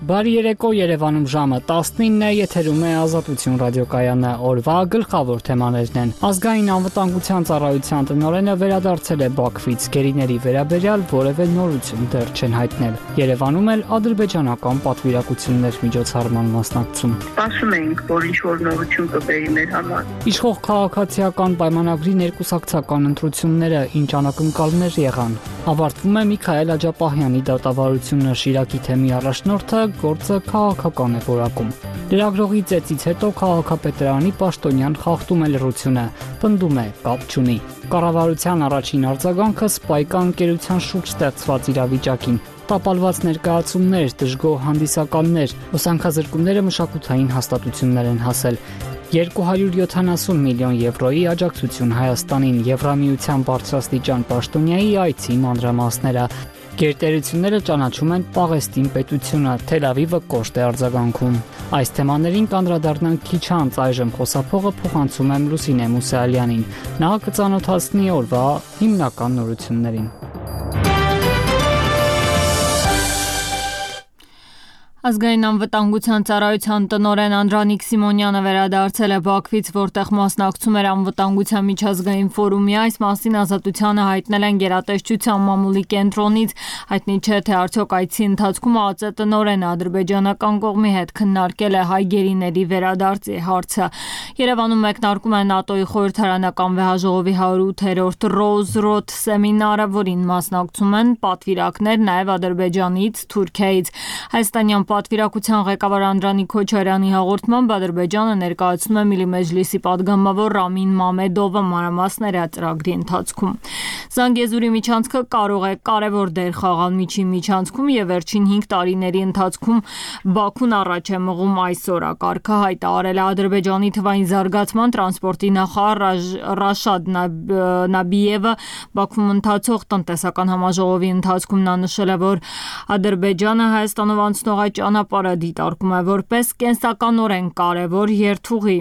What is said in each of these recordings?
Բարի երեկո, Երևանում ժամը 19 է, եթերում է Ազատություն ռադիոկայանը, օրվա գլխավոր թեմաներն են։ Ազգային անվտանգության ծառայության տնօրենը վերադարձել է Բաքվից, գերիների վերաբերյալ որևէ նորություն դեռ չեն հայտնել։ Երևանում էլ ադրբեջանական պատվիրակություններ միջոցառման մասնակցում։ Սպասում էինք, որ ինչ-որ նորություն կբերի մեր համար։ Իշխող քաղաքացիական պայմանագրի ներկուսակցական ընտրությունները ինչ անակնկալներ եղան։ Ավարտվում է Միքայել Աջապահյանի դատավարությունը, Շիրակի թեմի առաջնորդը գործը քաղաքական է որակում։ Լրագրողի ծեծից հետո քաղաքապետարանի պաշտոնյան խախտում է լռությունը, պնդում է, կապ չունի։ Կառավարության առաջին արձագանքը Սպայկա ընկերության շուրջ ստեղծված իրավիճակին։ Տապալված ներկայացումներ, դժգոհ հանդիսականներ, ուսանքազրկումները մշակութային հաստատություններ են հասել։ 270 միլիոն եվրոյի աջակցություն Հայաստանին, Եվրամիության բարձրաստիճան պաշտոնյայի այցի մանրամասները։ Գերտերությունները ճանաչում են Պաղեստին պետությունը, Թել Ավիվը կոշտ է արձագանքում։ Այս թեմաներին կանդրադառնանք քիչ անց, այժմ խոսափողը փոխանցում եմ Լուսինե Մուսալյանին։ Նա կծանոթացնի օրվա հիմնական նորություններին։ Ազգային անվտանգության ծառայության տնօրեն Անդրանիկ Սիմոնյանը վերադարձել է Բաքվից, որտեղ մասնակցում էր անվտանգության միջազգային ֆորումի։ Այս մասին Ազատությանը հայտնել են գերատեսչության մամուլի կենտրոնից։ Հայտնի չէ, թե արդյոք այցի ընթացքում ԱԾ տնօրենը ադրբեջանական կողմի հետ քննարկել է հայ գերիների վերադարձի հարցը։ Երևանում մեկնարկում է ՆԱՏՕ-ի խորհրդարանական վեհաժողովի 108-րդ Ռոուզրոդ սեմինարը, որին մասնակցում են պատվիրակներ նաև Ադրբեջանից, Թուրքիայից։ Հայաստանյան պատվիրակության ղեկավար Անդրանիկ Քոչարյանի հաղորդմամբ Ադրբեջանը ներկայացնում է Միլի Մեջլիսի падգամավոր Ռամին Մամեդովը մանրամասները ծրագրի ընթացքում։ Զանգեզուրի միջանցքը կարող է կարևոր դեր խաղալ միջին միջանցքում եւ վերջին 5 տարիների ընթացքում Բաքուն առաջ է մղում այս օրակարգը, հայտարարել է Ադրբեջանի թվային զարգացման տրանսպորտի նախարար Ռաշադ Նաբիևը Բաքվում ընթացող տնտեսական համաժողովի ընթացքում։ Նա նշել է, որ Ադրբեջանը Հայաստանով անցնող ճանապարհը դիտարկում է որպես կենսականորեն կարևոր երթուղի։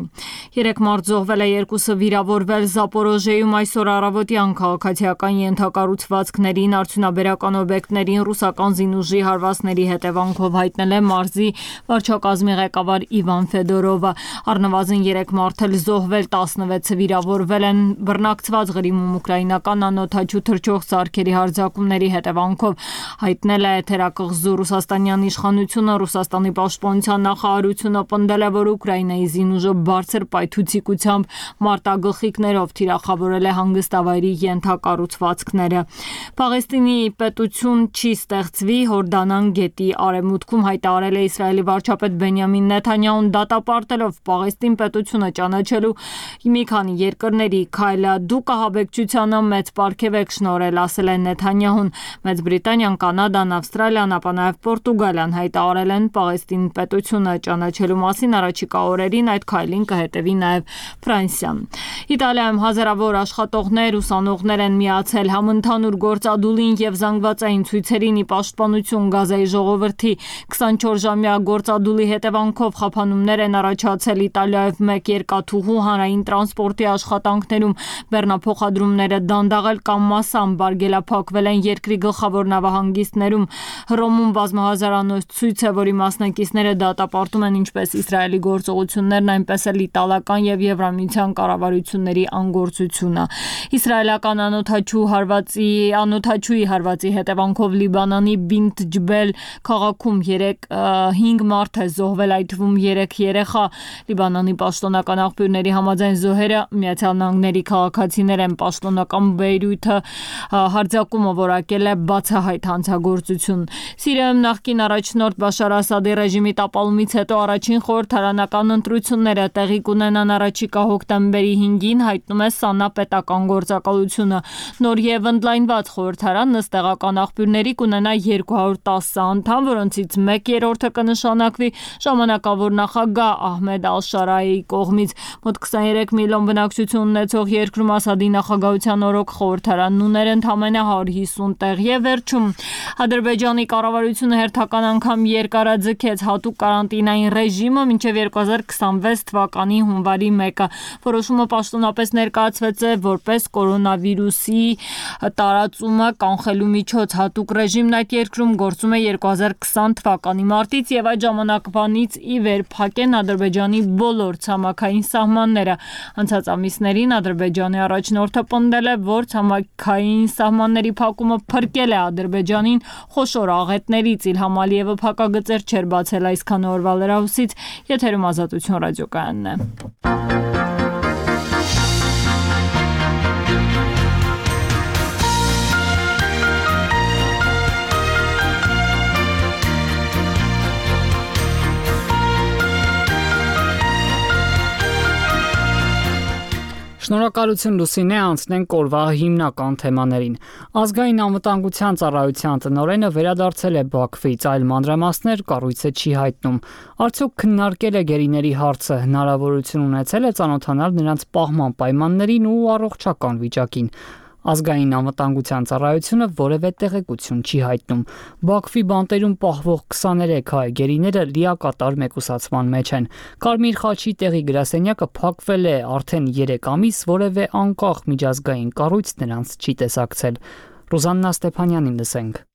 3 մարդ զոհվել է, 2-ը վիրավորվել Զապորոժիեում այսօր առավոտյան քաղաքացիական ենթակառուցվածքներին, արդյունաբերական օբյեկտներին ռուսական զինուժի հարվածների հետևանքով, հայտնել է մարզի վարչակազմի ղեկավար Իվան Ֆեդորովը։ Առնվազն 3 մարդ էլ զոհվել, 16-ը վիրավորվել են բռնակցված Ղրիմում ուկրաինական անօդաչու թռչող սարքերի հարձակումների հետևանքով, հայտնել է թերակղզու ռուսաստանյան իշխանությունը։ Ռուսաստանի պաշտպանության նախարարությունը պնդել է, որ Ուկրաինայի զինուժը բարձր պայթուցիկությամբ մարտագլխիկներով թիրախավորել է հանգստավայրի ենթակառուցվածքները։ Պաղեստինի պետություն չի ստեղծվի, Հորդանան գետի արևմուտքում, հայտարարել է Իսրայելի վարչապետ Բենյամին Նեթանյահուն, դատապարտելով Պաղեստին պետությունը ճանաչելու մի քանի երկրների քայլը։ Դուք ահաբեկչությանը մեծ պարգև եք շնորհել, ասել է Նեթանյահուն։ Մեծ Բրիտանիան, Կանադան, Ավստրալիան, ապա նաև Պորտուգալիան հայտարարել են Պաղեստին պետությունը ճանաչելու մասին, առաջիկա օրերին այդ քայլին կհետևի նաև Ֆրանսիան։ Իտալիայում հազարավոր աշխատողներ, ուսանողներ են միացել համընդհանուր գործադուլին եւ զանգվածային ցույցերին ի պաշտպանություն Գազայի ժողովրդի։ 24-ժամյա գործադուլի հետևանքով խափանումներ են առաջացել Իտալիայով մեկ երկաթուղու հանրային տրանսպորտի աշխատանքներում, բեռնափոխադրումները դանդաղել կամ մասամբ արգելափակվել են երկրի գլխավոր նավահանգիստներում։ Հռոմում բազմահազարանոց ցույց է, որի մասնակիցները դատապարտում են ինչպես Իսրայելի գործողություններն, այնպես էլ իտալական եւ Եվրամիության կառավարությունների անգործությունը։ Իսրայելական անօդաչուի հարվածի հետևանքով Լիբանանի Բինտ Ջբել քաղաքում 5 մարդ է զոհվել, այդ թվում 3 երեխա։ Լիբանանի պաշտոնական աղբյուրների համաձայն զոհերը Միացյալ Նահանգների քաղաքացիներ են։ Պաշտոնական Բեյրութը հարձակումը որակել է բացահայտ հանցագործություն։ Սիրիայում նախկին առաջնորդ Բաշար Ասադի ռեժիմի տապալումից հետո առաջին խորհրդարանական ընտրությունները տեղի կունենան առաջիկա հոկտեմբերի 5-ին, հայտնում է ՍԱՆԱ պետական գործակալությունը։ Նոր եւ ընդլայնված խորհրդարանը ըստ տեղական աղբյուրների կունենա 210 անդամ, որոնցից 1/3-ը կնշանակվի ժամանակավոր նախագահ Ահմեդ Ալ-Շարայի կողմից։ Մոտ 23 միլիոն բնակչություն ունեցող երկրում Ասադի նախագահության օրոք խորհրդարանն ուներ ընդամենը 150 տեղ։ Եվ վերջում Ադրբեջանի կառավարությունը հերթական անգամ երկարաձգեց հատուկ կարանտինային ռեժիմը մինչև 2026 թվականի հունվարի 1-ը։ Որոշումը պաշտոնապես ներկայացվեց է որպես կորոնավիրուսի տարածումը կանխելու միջոց։ Հատուկ ռեժիմն այդ երկրում գործում է 2020 թվականի մարտից եւ այդ ժամանակվանից ի վեր փակեն Ադրբեջանի բոլոր ցամաքային սահմանները։ Անցած ամիսներին Ադրբեջանի առաջնորդը պնդել է, որ ցամաքային սահմանների փակումը փրկել է Ադրբեջանին խոշոր աղետներից։ Իլհամ Ալիևը փակագծեր չէր բացել այսքան օրվա լրահոսից, եթերում Ազատություն ռադիոկայանն է։ Շնորհակալություն Լուսինե, անցնենք օրվա հիմնական թեմաներին։ Ազգային անվտանգության ծառայության տնօրենը վերադարձել է Բաքվից, այլ մանրամասներ կառույցը չի հայտնում։ Արդյոք քննարկել է գերիների հարցը, հնարավորություն ունեցել է ծանոթանալ նրանց պահման պայմաններին ու առողջական վիճակին։ Ազգային անվտանգության ծառայությունը որևէ տեղեկություն չի հայտնում։ Բաքվի բանտերում պահվող 23 հայ գերիները լիակատար մեկուսացման մեջ են։ Կարմիր խաչի տեղի գրասենյակը փակվել է արդեն 3 ամիս, որևէ անկախ միջազգային կառույց նրանց չի տեսակցել։ Ռուզաննա Ստեփանյանին լսենք։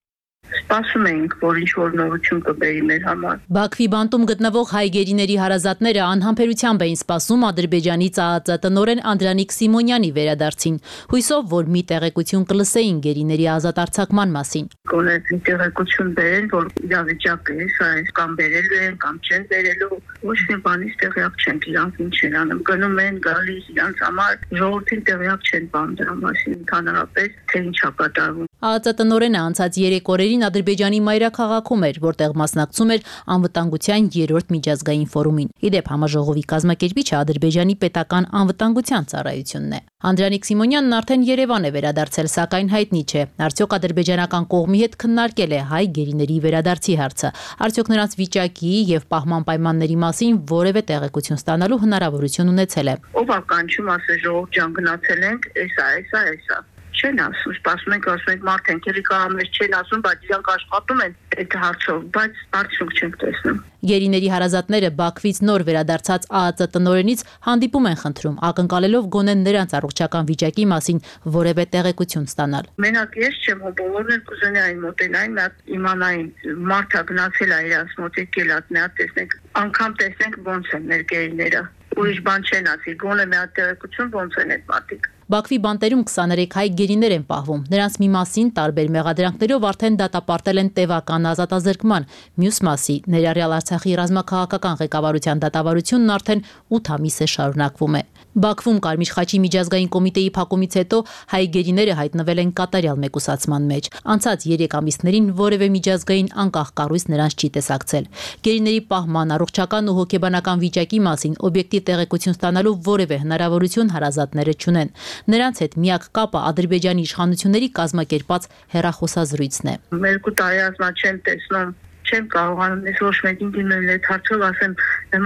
Սպասում ենք, որ ինչ-որ նորություն կբերի մեր համար։ Բաքվի բանտում գտնվող հայ գերիների հարազատները անհամբերությամբ էին սպասում Ադրբեջանի ԾԱԱԾ տնօրեն Անդրանիկ Սիմոնյանի վերադարձին, հույսով, որ մի տեղեկություն կլսեին գերիների ազատ արձակման մասին։ Գոնե մի տեղեկություն բերեն, որ իրավիճակը է, սա է, կամ բերելու են, կամ չեն բերելու, ոչ մի բանից տեղյակ չենք, իրանք ինչ են անում, գնում են, գալիս, իրանք համար ժողովրդին տեղյակ չեն բան դրա մասին, ընդհանրապես թե ինչ է կատարվում։ ԱԱԾ տնօրենը անցած 3 օրերին Ադրբեջանի մայրաքաղաքում էր, որտեղ մասնակցում էր անվտանգության 3-րդ միջազգային ֆորումին։ Իդեպ համաժողովի կազմակերպիչը Ադրբեջանի պետական անվտանգության ծառայությունն է։ Անդրանիկ Սիմոնյանն արդեն Երևան է վերադարձել, սակայն հայտնի չէ, արդյոք ադրբեջանական կողմի հետ քննարկել է հայ գերիների վերադարձի հարցը, արդյոք նրանց վիճակի եւ պահման պայմանների մասին որևէ տեղեկություն ստանալու հնարավորություն ունեցել է։ Ով է կանչում, ասե ժողովուրդ ջան գնացել ենք, էսա։ Չեն ասում, սպասում ենք, ասում ենք մարդ ենք, էլի կարամես չեն ասում, բայց իրանք աշխատում են այդ հարցով, բայց արդյունք չենք տեսնում։ Գերիների հարազատները Բաքվից նոր վերադարձած ԱԱԾ տնօրենից հանդիպում են խնդրում, ակնկալելով գոնե նրանց առողջական վիճակի մասին որևէ տեղեկություն ստանալ։ Մենակ ես չեմ, բոլորն էլ կուզենային մոտենային, իմանային, մարդը գնացել է իրանց մոտ, եկել է, մի հատ տեսնենք, անգամ տեսնենք ոնց են մեր գերիները։ Ուրիշ բան չեն ասի, գոնե մի հատ տեղեկություն ոնց են այդ մարդիկ։ Բաքվի բանտերում 23 հայ գերիներ են պահվում։ Նրանց մի մասին տարբեր մեղադրանքներով արդեն դատապարտել են տևական ազատազրկման, մյուս մասի ներառյալ Արցախի ռազմաքաղաքական ղեկավարության դատավարությունն արդեն 8 ամիս է շարունակվում է։ Բաքվում Կարմիր խաչի միջազգային կոմիտեի փակումից հետո հայ գերիները հայտնվել են կատարյալ մեկուսացման մեջ։ Անցած 3 ամիսներին որևէ միջազգային անկախ կառույց նրանց չի տեսակցել։ Գերիների պահման, առողջական ու հոգեբանական վիճակի մասին օբյեկտիվ տեղեկություն ստանալու որևէ հնարավորություն հարազատները չունեն։ Նրանց հետ միակ կապը Ադրբեջանի իշխանությունների կազմակերպած հեռախոսազրույցն է։ 2 տարի ասма չեմ տեսնում, չեմ կարողանում ես ոչ մեկին դիմել այդ հարցով, ասեմ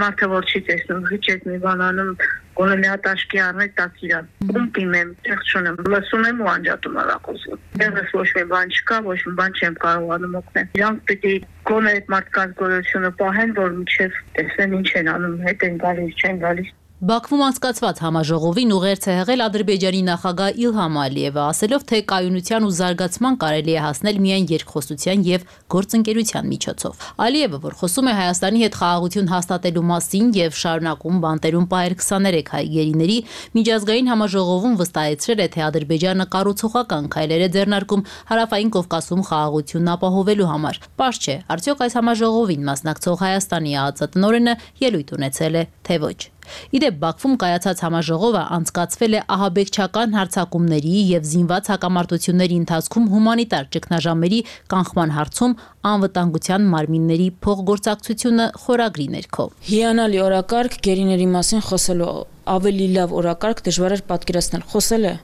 մարդը որ չի տեսնում, հիչ այդ մի բան անում, գոնե մի հատ աշկի առնել տակ իրան։ Ում դիմեմ, տեղ չունեմ, լսում եմ ու անջատում ալակոսում։ Տեղս ոչ մի բան չկա, ոչ մի բան չեմ կարողանում օգնել։ Իրանք պիտի գոնե այդ մարդկանց գոյությունը պահեն, որ մինչև տեսնեն ինչ են անում, հետ են գալիս, չեն գալիս։ Բաքվում անցկացված համաժողովին ուղերձ է հղել Ադրբեջանի նախագահ Իլհամ Ալիևը, ասելով, թե կայունության ու զարգացման կարելի է հասնել միայն երկխոսության եւ գործընկերության միջոցով։ Ալիևը, որ խոսում է Հայաստանի հետ խաղաղություն հաստատելու մասին եւ շարունակում բանտերում պահել 23 հայ գերիների, միջազգային համաժողովում վստահեցրել է, թե Ադրբեջանը կառուցողական քայլեր է ձեռնարկում Հարավային Կովկասում խաղաղությունն ապահովելու համար։ Պարզ չէ, արդյոք այս համաժողովին մասնակցող Հայաստանի ԱԱԾ տնօրենը ելույթ ունեցել է, թե ոչ։ Իդեպ Բաքվում կայացած համաժողովը անցկացվել է ահաբեկչական հարձակումների եւ զինված հակամարտությունների ընթացքում հումանիտար ճգնաժամերի կանխման հարցում անվտանգության մարմինների փոխգործակցությունը խորագրի ներքո։ Հիանալի օրակարգ գերիների մասին խոսելու ավելի լավ օրակարգ դժվար է պատկերացնել։ Խոսել է,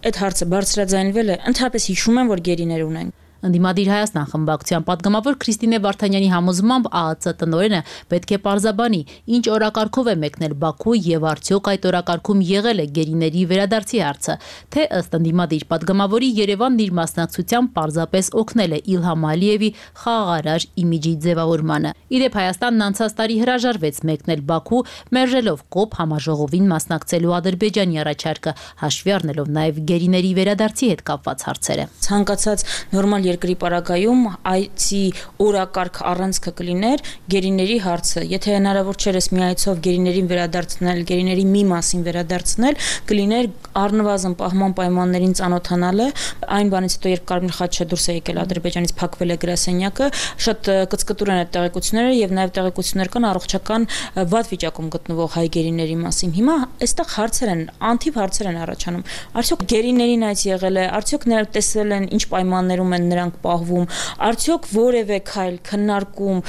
այդ հարցը բարձրաձայնվել է, ընդհանրապես հիշում եմ, որ գերիներ ունենք։ Ընդդիմադիր Հայաստան խմբակցության պատգամավոր Քրիստինե Վարդանյանի համոզմամբ ԱԱԾ տնօրենը պետք է պարզաբանի, ինչ օրակարգով է մեկնել Բաքու եւ արդյոք այդ օրակարգում եղել է գերիների վերադարձի հարցը, թե ըստ ընդդիմադիր պատգամավորի Երևանն իր մասնակցությամբ պարզապես օգնել է Իլհամ Ալիևի խաղաղարար իմիջի ձևավորմանը։ Իդեպ Հայաստանն անցած տարի հրաժարվեց մեկնել Բաքու, մերժելով ԿՕՊ համաժողովին մասնակցելու Ադրբեջանի առաջարկը, հաշվի առնելով նաև գերիների վերադարձի հետ կապված հարցերը։ Ցանկացած նորմալ երկրի պարագայում այցի օրակարգ առանցքը կլիներ գերիների հարցը։ Եթե հնարավոր չէր էս մի այցով գերիներին վերադարձնել, գերիների մի մասին վերադարձնել, կլիներ առնվազն պահման պայմաններին ծանոթանալը, այն բանից հետո երբ Կարմիր խաչը դուրս է եկել Ադրբեջանից, փակվել է գրասենյակը, շատ կծկտուր են այդ տեղեկությունները եւ նաեւ տեղեկություններ կան առողջական վատ վիճակում գտնվող հայ գերիների մասին։ Հիմա այստեղ հարցեր են, անթիվ հարցեր են առաջանում։ Արդյոք գերիներին այց եղել է, արդյոք նրանք տեսել են ինչ պայմաններում են նրանք պահվում, արդյոք որևէ քայլ քննարկում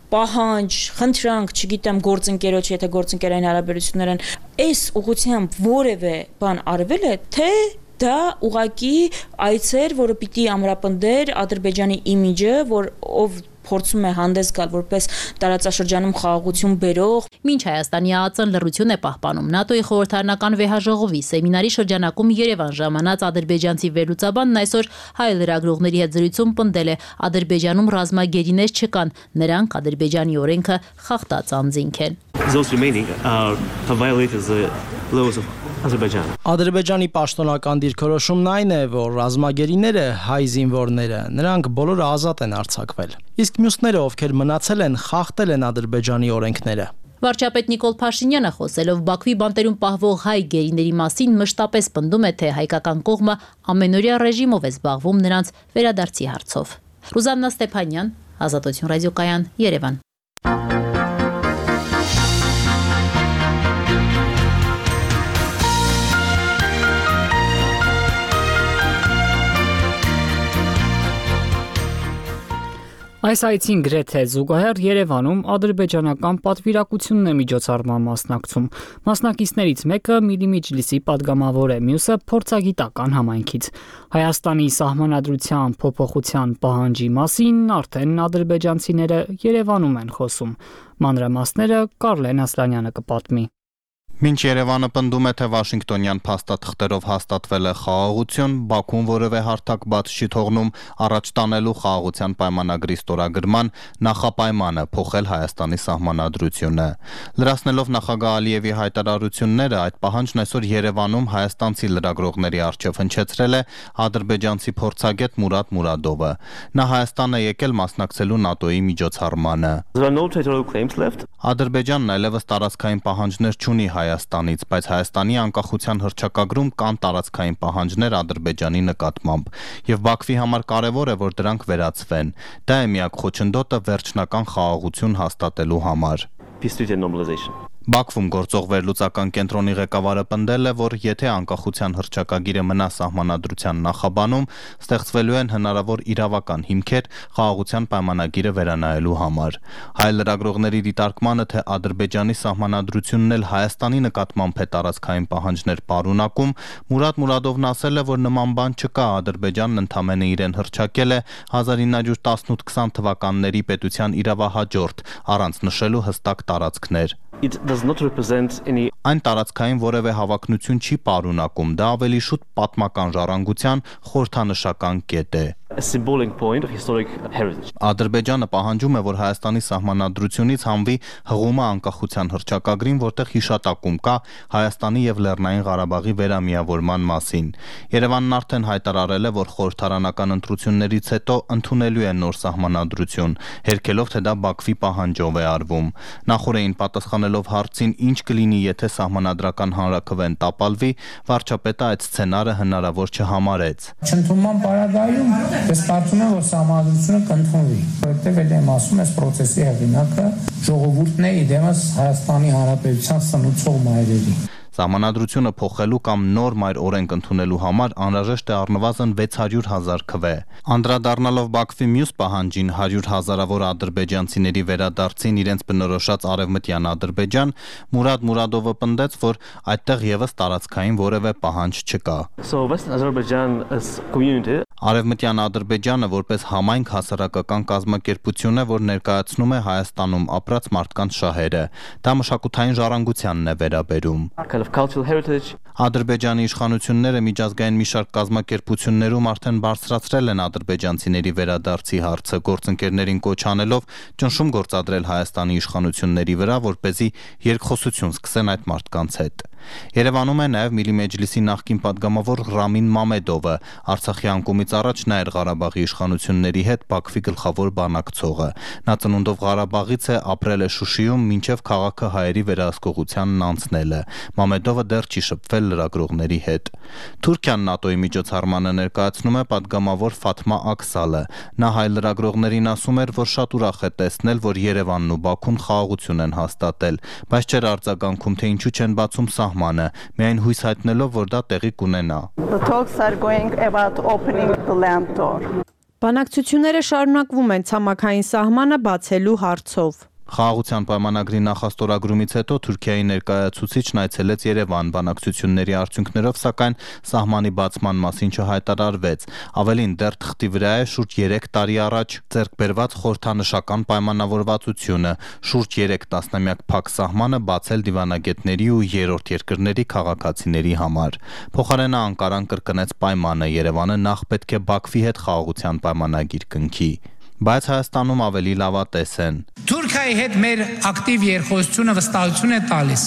պահանջ, խնդրանք, չգիտեմ, գործընկերոջ, եթե գործընկերային հարաբերություններ են, այս ուղղությամբ որևէ բան արվել է, թե դա ուղղակի այց էր, որը պիտի ամրապնդեր Ադրբեջանի իմիջը, որ ով փորձում է հանդես գալ որպես տարածաշրջանում խաղաղություն բերող։ Մինչ Հայաստանի ԱԱԾ-ն լռություն է պահպանում ՆԱՏՕ-ի խորհրդարանական վեհաժողովի սեմինարի շրջանակում Երևան ժամանած ադրբեջանցի վերլուծաբանն այսօր հայ լրագրողների հետ զրույցում պնդել է Ադրբեջանում ռազմագերիներ չկան, նրանք Ադրբեջանի օրենքը խախտած անձինք են։ Ադրբեջանի պաշտոնական դիրքորոշումն այն է, որ ռազմագերիները հայ զինվորները, նրանք բոլորը ազատ են արձակվել։ Իսկ մյուսները, ովքեր մնացել են, խախտել են Ադրբեջանի օրենքները։ Վարչապետ Նիկոլ Փաշինյանը խոսելով Բաքվի բանտերում պահվող հայ գերիների մասին մշտապես պնդում է, թե հայկական կողմը ամենօրյա ռեժիմով է զբաղվում նրանց վերադարձի հարցով։ Ռուզաննա Ստեփանյան, Ազատություն ռադիոկայան, Երևան։ Այս այցին գրեթե զուգահեռ Երևանում ադրբեջանական պատվիրակությունն է միջոցառման մասնակցում։ Մասնակիցներից մեկը Միլի Մեջլիսի падգամավոր է, մյուսը փորձագիտական համայնքից։ Հայաստանի սահմանադրության փոփոխության պահանջի մասին արդեն ադրբեջանցիները Երևանում են խոսում։ Մանրամասները Կարլեն Ասլանյանը կպատմի։ Մինչ Երևանը պնդում է, թե Վաշինգտոնյան փաստաթղթերով հաստատվել է խաղաղություն, Բաքուն որևէ հարթակ բաց չի թողնում առաջ տանելու խաղաղության պայմանագրի ստորագրման նախապայմանը փոխել Հայաստանի սահմանադրությունը։ Լրացնելով նախագահ Ալիևի հայտարարությունները, այդ պահանջն այսօր Երևանում հայաստանցի լրագրողների առջև հնչեցրել է ադրբեջանցի փորձագետ Մուրադ Մուրադովը։ Նա Հայաստան է եկել մասնակցելու ՆԱՏՕ-ի միջոցառմանը։ Ադրբեջանն այլևս տարածքային պահանջներ չունի Հայաստանից, բայց Հայաստանի անկախության հռչակագրում կան տարածքային պահանջներ Ադրբեջանի նկատմամբ, եւ Բաքվի համար կարեւոր է, որ դրանք վերացվեն։ Դա է միակ խոչընդոտը վերջնական խաղաղություն հաստատելու համար։ Բաքվում գործող վերլուծական կենտրոնի ղեկավարը պնդել է, որ եթե անկախության հռչակագիրը մնա սահմանադրության նախաբանում, ստեղծվելու են հնարավոր իրավական հիմքեր խաղաղության պայմանագիրը վերանայելու համար։ Հայ լրագրողների դիտարկմանը, թե Ադրբեջանի սահմանադրությունն էլ Հայաստանի նկատմամբ է տարածքային պահանջներ պարունակում, Մուրադ Մուրադովն ասել է, որ նման բան չկա, Ադրբեջանն ընդամենը իրեն հռչակել է 1918-20 թվականների պետության իրավահաջորդ, առանց նշելու հստակ տարածքներ։ Այն տարածքային որևէ հավակնություն չի պարունակում, դա ավելի շուտ պատմական ժառանգության խորհրդանշական կետ է։ Ադրբեջանը պահանջում է, որ Հայաստանի սահմանադրությունից հանվի հղումը անկախության հռչակագրին, որտեղ հիշատակում կա Հայաստանի եւ Լեռնային Ղարաբաղի վերամիավորման մասին։ Երևանն արդեն հայտարարել է, որ խորհրդարանական ընտրություններից հետո ընդունելու է նոր սահմանադրություն, հերքելով, թե դա Բաքվի պահանջով է արվում։ Նախորդին պատասխանելով հարցին, ինչ կլինի, եթե սահմանադրական հանրաքվեն տապալվի, վարչապետը այդ սցենարը հնարավոր չհամարեց։ Չընդունման պարագայում ես կարծում եմ, որ սահմանադրությունը կընդունվի, որովհետև էլ ասում ես պրոցեսի հեղինակը ժողովուրդն է, իդեմս Հայաստանի Հանրապետության սնուցող մայրերի։ Սահմանադրությունը փոխելու կամ նոր մայր օրենք ընդունելու համար անհրաժեշտ է առնվազն 600,000 քվե։ Անդրադառնալով Բաքվի մյուս պահանջին 100,000-ավոր ադրբեջանցիների վերադարձին իրենց բնորոշած Արևմտյան Ադրբեջան, Մուրադ Մուրադովը պնդեց, որ այդտեղ եւս տարածքային որևէ պահանջ չկա։ Արևմտյան Ադրբեջանը որպես համայնք հասարակական կազմակերպություն է, որ ներկայացնում է Հայաստանում ապրած մարդկանց շահերը։ Դա մշակութային ժառանգությանն է վերաբերում։ Ադրբեջանի իշխանությունները միջազգային մի շարք կազմակերպություններում արդեն բարձրացրել են ադրբեջանցիների վերադարձի հարցը, գործընկերներին կոչ անելով ճնշում գործադրել Հայաստանի իշխանությունների վրա, որպեսզի երկխոսություն սկսեն այդ մարդկանց հետ։ Երևանում է նաև Միլի Մեջլիսի նախկին պատգամավոր Ռամին Մամեդովը, Արցախի անկումից առաջ նա էր Ղարաբաղի իշխանությունների հետ Բաքվի գլխավոր բանակցողը։ Նա ծնունդով Ղարաբաղից է, ապրել է Շուշիում, մինչև քաղաքը հայերի վերահսկողությանն անցնելը։ Մամեդովը դեռ չի շփվել լրագրողների հետ։ Թուրքիան ՆԱՏՕ-ի միջոցառմանը ներկայացնում է պատգամավոր Ֆաթմա Աքսալը։ Նա հայ լրագրողներին ասում էր, որ շատ ուրախ է տեսնել, որ Երևանն ու Բաքուն խաղաղություն են հաստատել, բայց չէր արձագանքում, թե ինչու չեն բացում սահմանը, միայն հույս հայտնելով, որ դա տեղի կունենա։ Բանակցությունները շարունակվում են ցամաքային սահմանը բացելու հարցով։ Խաղաղության պայմանագրի նախաստորագրումից հետո Թուրքիայի ներկայացուցիչն այցելեց Երևան, բանակցությունների արդյունքներով, սակայն սահմանի բացման մասին չհայտարարվեց։ Ավելին, դեռ թղթի վրա է շուրջ 3 տարի առաջ ձեռք բերված խորհրդանշական պայմանավորվածությունը, շուրջ 3 տասնամյակ փակ սահմանը բացել դիվանագետների ու երրորդ երկրների քաղաքացիների համար։ Փոխարենը Անկարան կրկնեց պայմանը, Երևանը նախ պետք է Բաքվի հետ խաղաղության պայմանագիր կնքի։ Բայց Հայաստանում ավելի լավատես են։ Թուրքիայի հետ մեր ակտիվ երկխոսությունը վստահություն է տալիս,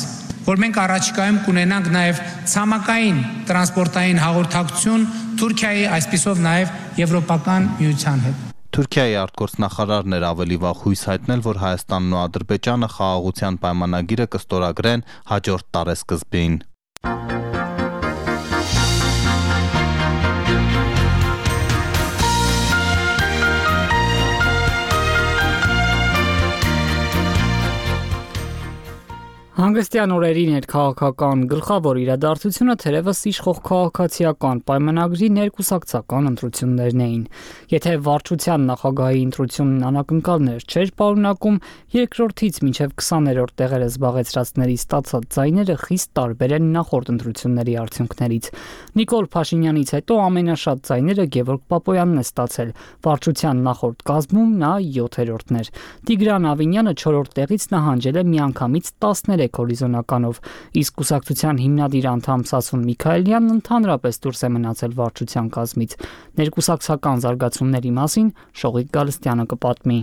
որ մենք առաջիկայում կունենանք նաև ցամաքային տրանսպորտային հաղորդակցություն Թուրքիայի, այսպիսով նաև Եվրոպական միության հետ։ Թուրքիայի արտգործնախարարն էր ավելի վաղ հույս հայտնել, որ Հայաստանն ու Ադրբեջանը խաղաղության պայմանագիրը կստորագրեն հաջորդ տարեսկզբին։ Հանգստյան օրերի ներքաղաքական գլխավոր իրադարձությունը թերևս իշխող քաղաքացիական պայմանագրի ներկուսակցական ընտրություններն էին։ Եթե վարչության նախագահի ընտրությունն անակնկալներ չէր պարունակում, երկրորդից մինչև 20-րդ տեղերը զբաղեցրածների ստացած ձայները խիստ տարբեր են նախորդ ընտրությունների արդյունքներից։ Նիկոլ Փաշինյանից հետո ամենաշատ ձայները Գևորգ Պապոյանն է ստացել, վարչության նախորդ կազմում նա 7-րդն էր։ Տիգրան Ավինյանը 4-րդ տեղից նահանջել է միանգամից 13 հորիզոնականով, իսկ կուսակցության հիմնադիր անդամ Սասուն Միքայելյանն ընդհանրապես դուրս է մնացել վարչության կազմից։ Ներկուսակցական զարգացումների մասին Շողիկ Գալստյանը կպատմի։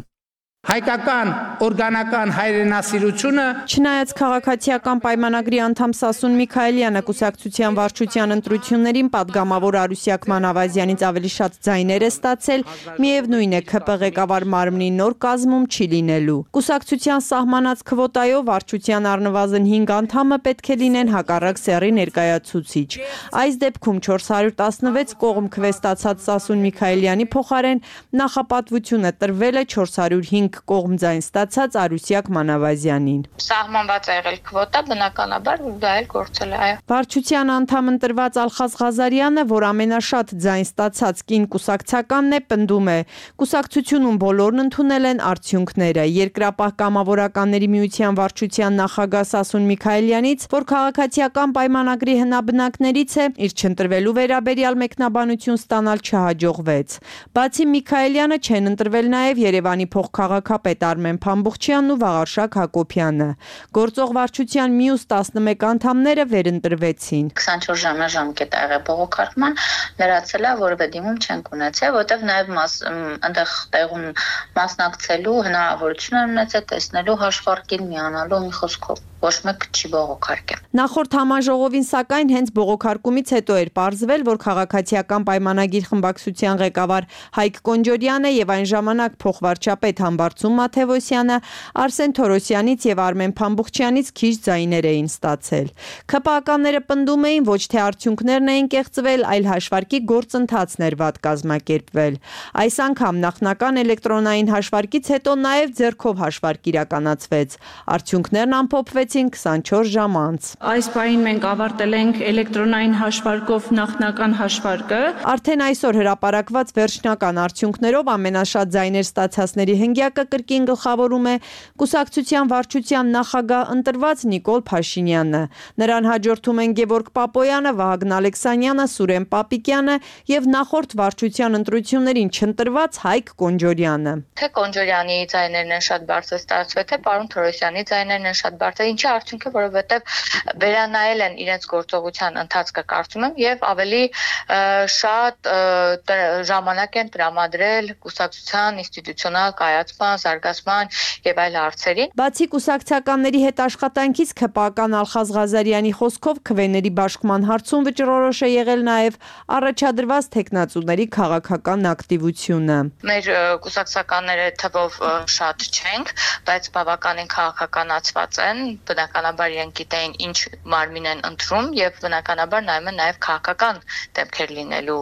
Հայկական օրգանական հայրենասիրությունը Չնայած քաղաքացիական պայմանագրի անդամ Սասուն Միքայելյանը կուսակցության վարչության ընտրություններին պատգամավոր Արուսյակ Մանավազյանից ավելի շատ ձայներ է ստացել, միևնույն է ՔՊ ղեկավար մարմնի նոր կազմում չի լինելու։ Կուսակցության սահմանած քվոտայով վարչության առնվազն 5 անդամը պետք է լինեն հակառակ սեռի ներկայացուցիչ։ Այս դեպքում 416 կողմ քվե ստացած Սասուն Միքայելյանի փոխարեն նախապատվությունը տրվել է 405 կողմ ձայն ստացած Արուսյակ Մանավազյանին։ Սահմանված է եղել քվոտա, բնականաբար դա էլ գործել է, այո։ Վարչության անդամ ընտրված Ալխազ Ղազարյանը, որ ամենաշատ ձայն ստացած կին կուսակցականն է, պնդում է. կուսակցությունում բոլորն ընդունել են արդյունքները։ Երկրապահ կամավորականների միության վարչության նախագահ Սասուն Միքայելյանից, որ քաղաքացիական պայմանագրի հնաբնակներից է, իր չընտրվելու վերաբերյալ մեկնաբանություն ստանալ չհաջողվեց։ Բացի Միքայելյանը չեն ընտրվել նաև Երևանի փոխքաղաքապետ Արմեն Փամբուխչյանն ու Վաղարշակ Հակոբյանը։ Գործող վարչության մյուս 11 անդամները վերընտրվեցին։ 24 ժամյա ժամկետ ա եղել բողոքարկման, լրացել է, որևէ դիմում չենք ունեցել, որտեղ նաև այնտեղ տեղում մասնակցելու հնարավորություն են ունեցել, տեսնելու հաշվարկին միանալու մի խոսքով։ Ոչ մեկ չի բողոքարկել։ Նախորդ համաժողովին սակայն հենց բողոքարկումից հետո էր պարզվել, որ քաղաքացիական պայմանագիր խմբակցության ղեկավար Հայկ Կոնջորյանը եւ այն ժամանակ փոխվարչապետ Վարդսուն Մաթևոսյանը, Արսեն Թորոսյանից եւ Արմեն Փամբուխչյանից քիչ ձայներ էին ստացել։ ՔՊԱ-ականները պնդում էին, ոչ թե արդյունքներն էին կեղծվել, այլ հաշվարկի գործընթացն էր վատ կազմակերպվել։ Այս անգամ նախնական էլեկտրոնային հաշվարկից հետո նաեւ ձեռքով հաշվարկ իրականացվեց։ Արդյունքներն ամփոփվեցին 24 ժամ անց։ Այս պահին մենք ավարտել ենք էլեկտրոնային հաշվարկով նախնական հաշվարկը։ Արդեն այսօր հրապարակված վերջնական արդյունքներով ամենաշատ ձայներ ստացածների հնգյակը կրկին գլխավորում է կուսակցության վարչության նախագահ ընտրված Նիկոլ Փաշինյանը։ Նրան հաջորդում են Գևորգ Պապոյանը, Վահագն Ալեքսանյանը, Սուրեն Պապիկյանը եւ նախորդ վարչության ընտրություններին չընտրված Հայկ Կոնջորյանը։ Թե Կոնջորյանի ձայներն են շատ բարձր ստացվել, թե պարոն Թորոսյանի ձայներն են շատ բարձր, ինչի արդյունքը, որովհետեւ վերանայել են իրենց գործողության ընթացքը, կարծում եմ, եւ ավելի շատ ժամանակ են տրամադրել կուսակցության ինստիտուցիոնալ կայացման, զարգացման եւ այլ հարցերին։ Բացի կուսակցականների հետ աշխատանքից ՔՊԱ-ական Ալխազ Ղազարյանի խոսքով քվեների բաշխման հարցում վճռորոշ է եղել նաեւ առաջադրված տեխնացուների քաղաքական ակտիվությունը։ Մեր կուսակցականները թվով շատ չենք, բայց բավականին քաղաքականացված են, բնականաբար իրենք գիտեն ինչ մարմին են ընտրում եւ բնականաբար նայում են նաեւ քաղաքական դեպքեր լինելու,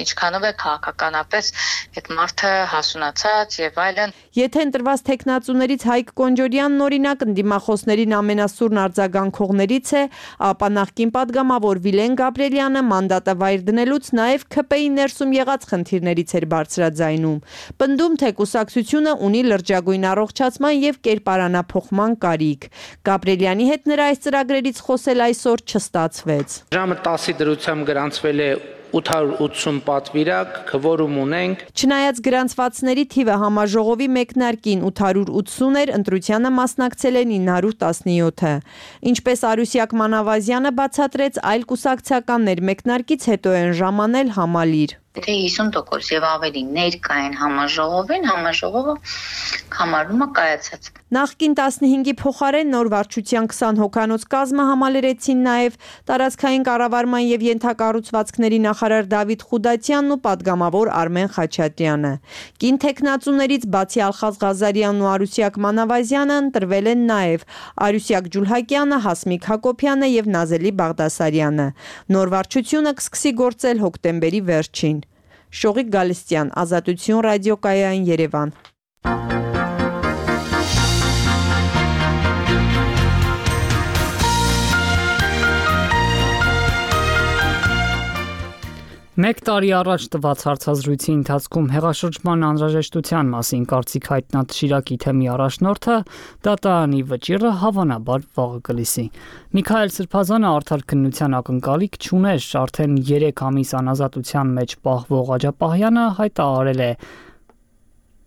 ինչքանով է քաղաքականապես այդ մարդը հասունացած եւ այլն։ Եթե ընտրված տեխնացուներից Հայկ Կոնջորյանն օրինակ ընդդիմախոսներին ամենասուրն արձագանքողներից է, ապա նախկին падգամավոր Վիլեն Գաբրելյանը մանդատը վայր դնելուց նաեւ ՔՊ-ի ներսում եղած խնդիրներից էր բարձրաձայնում։ Պնդում թե կուսակցությունը ունի լրջագույն առողջացման եւ կերպարանափոխման կարիք։ Գաբրելյանի հետ նրա այս ծրագրերից խոսել այսօր չստացվեց։ Ժամը 10-ի դրությամբ գրանցվել է 880 պատվիրակ, քվորում ունենք։ Չնայած գրանցվածների թիվը համաժողովի մեկնարկին 880 էր, ընտրությանը մասնակցել է 917-ը։ Ինչպես Արուսյակ Մանավազյանը բացատրեց, այլ կուսակցականներ մեկնարկից հետո են ժամանել համալիր։ Եթե 50% եւ ավելի ներկա են համաժողովին, համաժողովը համարվում է կայացած։ Նախկին 15-ի փոխարեն նոր վարչության 20 հոգանոց կազմը համալրեցին նաև տարածքային կառավարման եւ ենթակառուցվածքների նախարար Դավիթ Խուդատյանն ու падգամավոր Արմեն Խաչատրյանը։ Կին տեխնացուներից բացի Ալխազ Ղազարյանն ու Արուսյակ Մանավազյանը ընտրվել են նաև Արուսյակ Ջուլհակյանը, Հասմիկ Հակոբյանը եւ Նազելի Բաղդասարյանը։ Նոր վարչությունը կսկսի գործել հոկտեմբերի վերջին։ Շողիկ Գալստյան, Ազատություն ռադիոկայան, Երևան։ Մեկ տարի առաջ տված հարցազրույցի ընթացքում հեղաշրջման անհրաժեշտության մասին կարծիք հայտնած Շիրակի թեմի առաջնորդը դատարանի վճիռը հավանաբար վաղը կլսի։ Միքայել Սրբազանը արդար քննության ակնկալիք չուներ, արդեն 3 ամիս անազատության մեջ պահվող Աջապահյանը հայտարարել է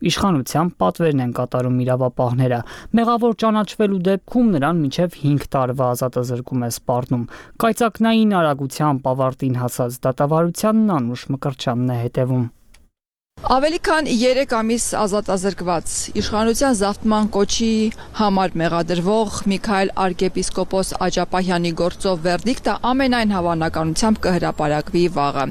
իշխանության պատվերն են կատարում իրավապահները։ Մեղավոր ճանաչվելու դեպքում նրան մինչև 5 տարվա ազատազրկում է սպառնում։ Կայծակնային արագությամբ ավարտին հասած դատավարությանն անուշ Մկրտչյանն է հետևում։ Ավելի քան 3 ամիս ազատազրկված իշխանության զավթման կոչի համար մեղադրվող Միքայել arczepiskopos Աջապահյանի գործով վերդիկտը ամենայն հավանականությամբ կհրապարակվի վաղը։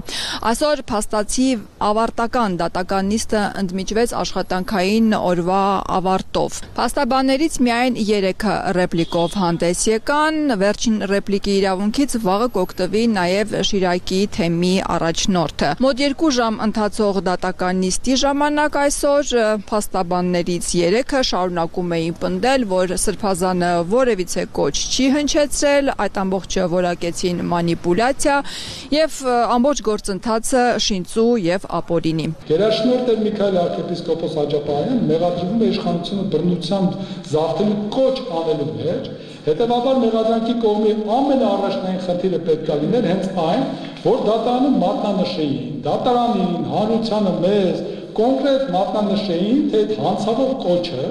Այսօր փաստացի ավարտական դատական նիստը ընդմիջվեց աշխատանքային օրվա ավարտով։ Փաստաբաններից միայն 3-ը ռեպլիկով հանդես եկան, վերջին ռեպլիկի իրավունքից վաղը կօգտվի նաև Շիրակի թեմի առաջնորդը։ Մոտ 2 ժամ ընթացող դատական նիստի ժամանակ այսօր փաստաբաններից 3-ը շարունակում էին պնդել, որ Սրբազանը որևիցե կոչ չի հնչեցրել, այդ ամբողջը որակեցին մանիպուլյացիա եւ ամբողջ գործընթացը շինծու եւ ապօրինի։ Գերաշնորհ Միքայել arczepiskopos Աջապահյան մեղադրվում է իշխանությունը բռնությամբ զավթելու կոչ անելու մեջ, հետեւաբար մեղադրանքի կողմի ամենաառաջնային խնդիրը պետք է լիներ հենց այն, որ դատարանում մատնանշեին, դատարանին, հանրությանը մեզ կոնկրետ մատնանշեին, թե այդ հանցավոր կոչը,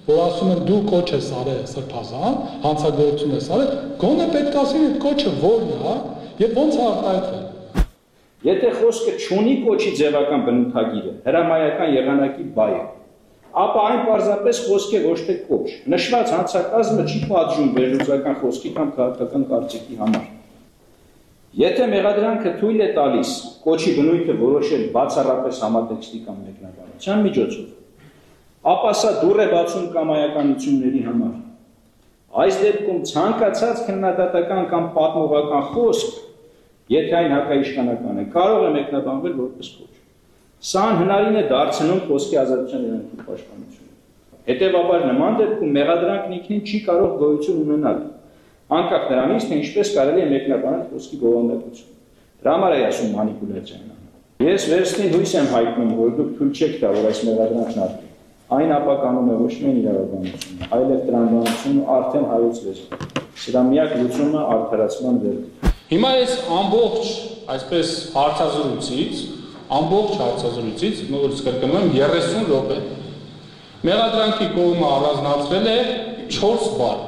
որ ասում են դու կոչ ես արել Սրբազան, հանցագործություն ես արել, գոնե պետք է ասեն այդ կոչը որն է եւ ոնց է արտահայտվել։ Եթե խոսքը չունի կոչի ձևական բնութագիրը, հրամայական եղանակի բայը, ապա այն պարզապես խոսք է ոչ թե կոչ։ Նշված հանցակազմը չի պատժում վերլուծական խոսքի կամ քաղաքական կարծիքի համար։ Եթե մեղադրանքը թույլ է տալիս կոչի բնույթը որոշել բացառապես համատեքստի կամ մեկնաբանության միջոցով, ապա սա դուռ է բացում կամայականությունների համար։ Այս դեպքում ցանկացած քննադատական կամ պատմողական խոսք, եթե այն հակաիշխանական է, կարող է մեկնաբանվել որպես կոչ։ Սա անհնարին է դարձնում խոսքի ազատության երանգի պաշտպանությունը։ Հետևաբար նման դեպքում մեղադրանքն ինքնին չի կարող գոյություն ունենալ, անկախ նրանից, թե ինչպես կարելի է մեկնաբանել խոսքի բովանդակությունը։ Դրա համար է ասում մանիպուլյացիան։ Ես վերստին հույս եմ հայտնում, որ դուք թույլ չեք տա, որ այս մեղադրանքն արտի։ Այն ապականում է ոչ միայն իրավաբանությունը, այլև տրամաբանությունը արդեն հայոցվեց։ Սրա միակ լուծումը արդարացման վերջ։ Հիմա ես ամբողջ այսպես հարցազրույցից, նորից կրկնում եմ 30 րոպե։ Մեղադրանքի կողմը առանձնացրել է 4 բառ։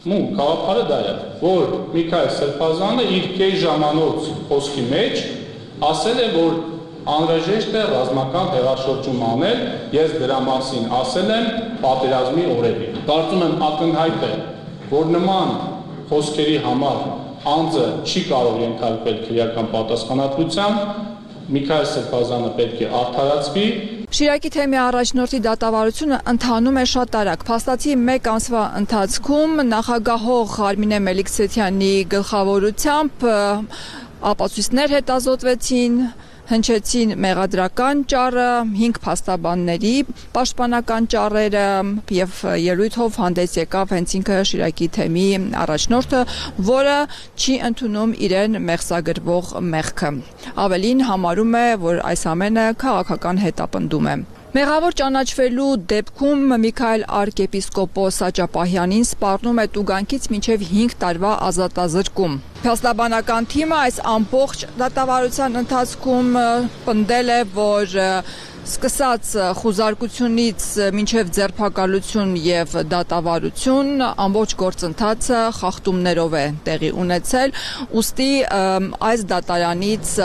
Գաղափարը դա է, որ Միքայել Սրբազանը իր կես ժամանոց խոսքի մեջ ասել է, որ անհրաժեշտ է ռազմական հեղաշրջում անել, ես դրա մասին ասել եմ պատերազմի օրերին։ Կարծում եմ ակնհայտ է, որ նման խոսքերի համար անձը չի կարող ենթարկվել քրեական պատասխանատվության, Միքայել Սրբազանը պետք է արդարացվի։ Շիրակի թեմի առաջնորդի դատավարությունը ընթանում է շատ արագ։ Փաստացի 1 ամսվա ընթացքում նախագահող Արմինե Մելիքսեթյանի գլխավորությամբ ապացույցներ հետազոտվեցին, հնչեցին մեղադրական ճառը, 5 փաստաբանների պաշտպանական ճառերը եւ ելույթով հանդես եկավ հենց ինքը Շիրակի թեմի առաջնորդը, որը չի ընդունում իրեն մեղսագրվող մեղքը։ Ավելին համարում է, որ այս ամենը քաղաքական հետապնդում է։ Մեղավոր ճանաչվելու դեպքում Միքայել arczepiskopos Աջապահյանին սպառնում է տուգանքից մինչև 5 տարվա ազատազրկում։ Փաստաբանական թիմը այս ամբողջ դատավարության ընթացքում պնդել է, որ սկսած խուզարկությունից մինչև ձերբակալություն եւ դատավարություն ամբողջ գործընթացը խախտումներով է տեղի ունեցել, ուստի այս դատարանից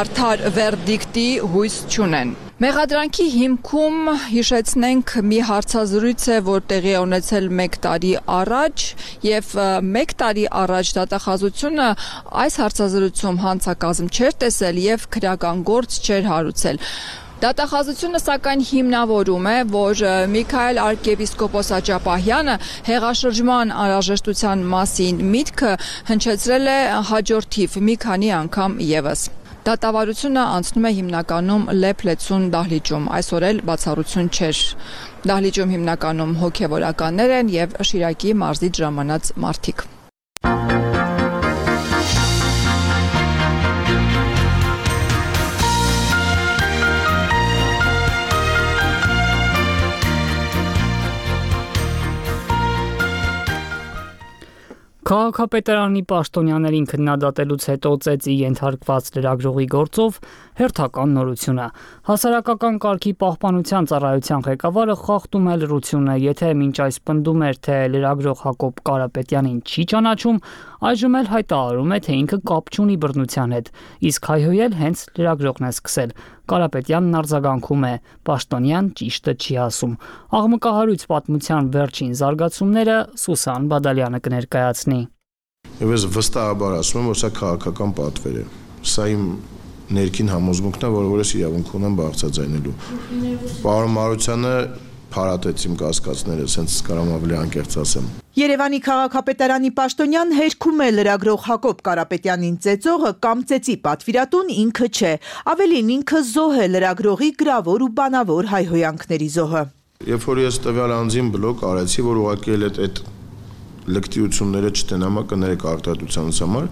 արդար վերդիկտի հույս չունեն։ Մեղադրանքի հիմքում հիշեցնենք մի հարցազրույց է, որ տեղի է ունեցել 1 տարի առաջ եւ 1 տարի առաջ դատախազությունը այս հարցազրույցում հանցակազմ չէր տեսել եւ քրեական գործ չէր հարուցել։ Դատախազությունը սակայն հիմնավորում է, որ Միքայել arczepiskopos Աջապահյանը հեղաշրջման անհրաժեշտության մասին միտքը հնչեցրել է հաջորդիվ մի քանի անգամ եւս։ Դատավարությունը անցնում է հիմնականում լեփ-լեցուն դահլիճում, այսօր էլ բացառություն չէր։ Դահլիճում հիմնականում հոգևորականներ են եւ Շիրակի մարզից ժամանած մարդիկ։ Քաղաքապետարանի պաշտոնյաներին քննադատելուց հետո ծեծի ենթարկված լրագրողի գործով հերթական նորությունը։ Հասարակական կարգի պահպանության ծառայության ղեկավարը խախտում է լրությունը, եթե մինչ այս պնդում էր, թե լրագրող Հակոբ Կարապետյանին չի ճանաչում, այժմ էլ հայտարարում է, թե ինքը կապ չունի բռնության հետ, իսկ հայհոյել հենց լրագրողն է սկսել։ Կարապետյանն արձագանքում է, պաշտոնյան ճիշտը չի ասում։ Աղմկահարույց պատմության վերջին զարգացումները Սուսան Բադալյանը կներկայացնի։ Եվ ես վստահաբար ասում եմ, որ սա քաղաքական պատվեր է։ Սա իմ ներքին համոզմունքն է, որ ես իրավունք ունեմ բարձրաձայնելու։ Պարոն Մարությանը փարատեց իմ կասկածները, սենց կարամ ավելի անկեղծ ասեմ։ Երևանի քաղաքապետարանի պաշտոնյան հերքում է լրագրող Հակոբ Կարապետյանին ծեծողը կամ ծեծի պատվիրատուն ինքը չէ, ավելին ինքը զոհ է լրագրողի գրավոր ու բանավոր հայհոյանքների զոհը։ Երբ որ ես տվյալ անձին բլոկ արեցի, որ ուղղակի էլ այդ լկտիությունները չտենամա կներեք արտադրությանս համար,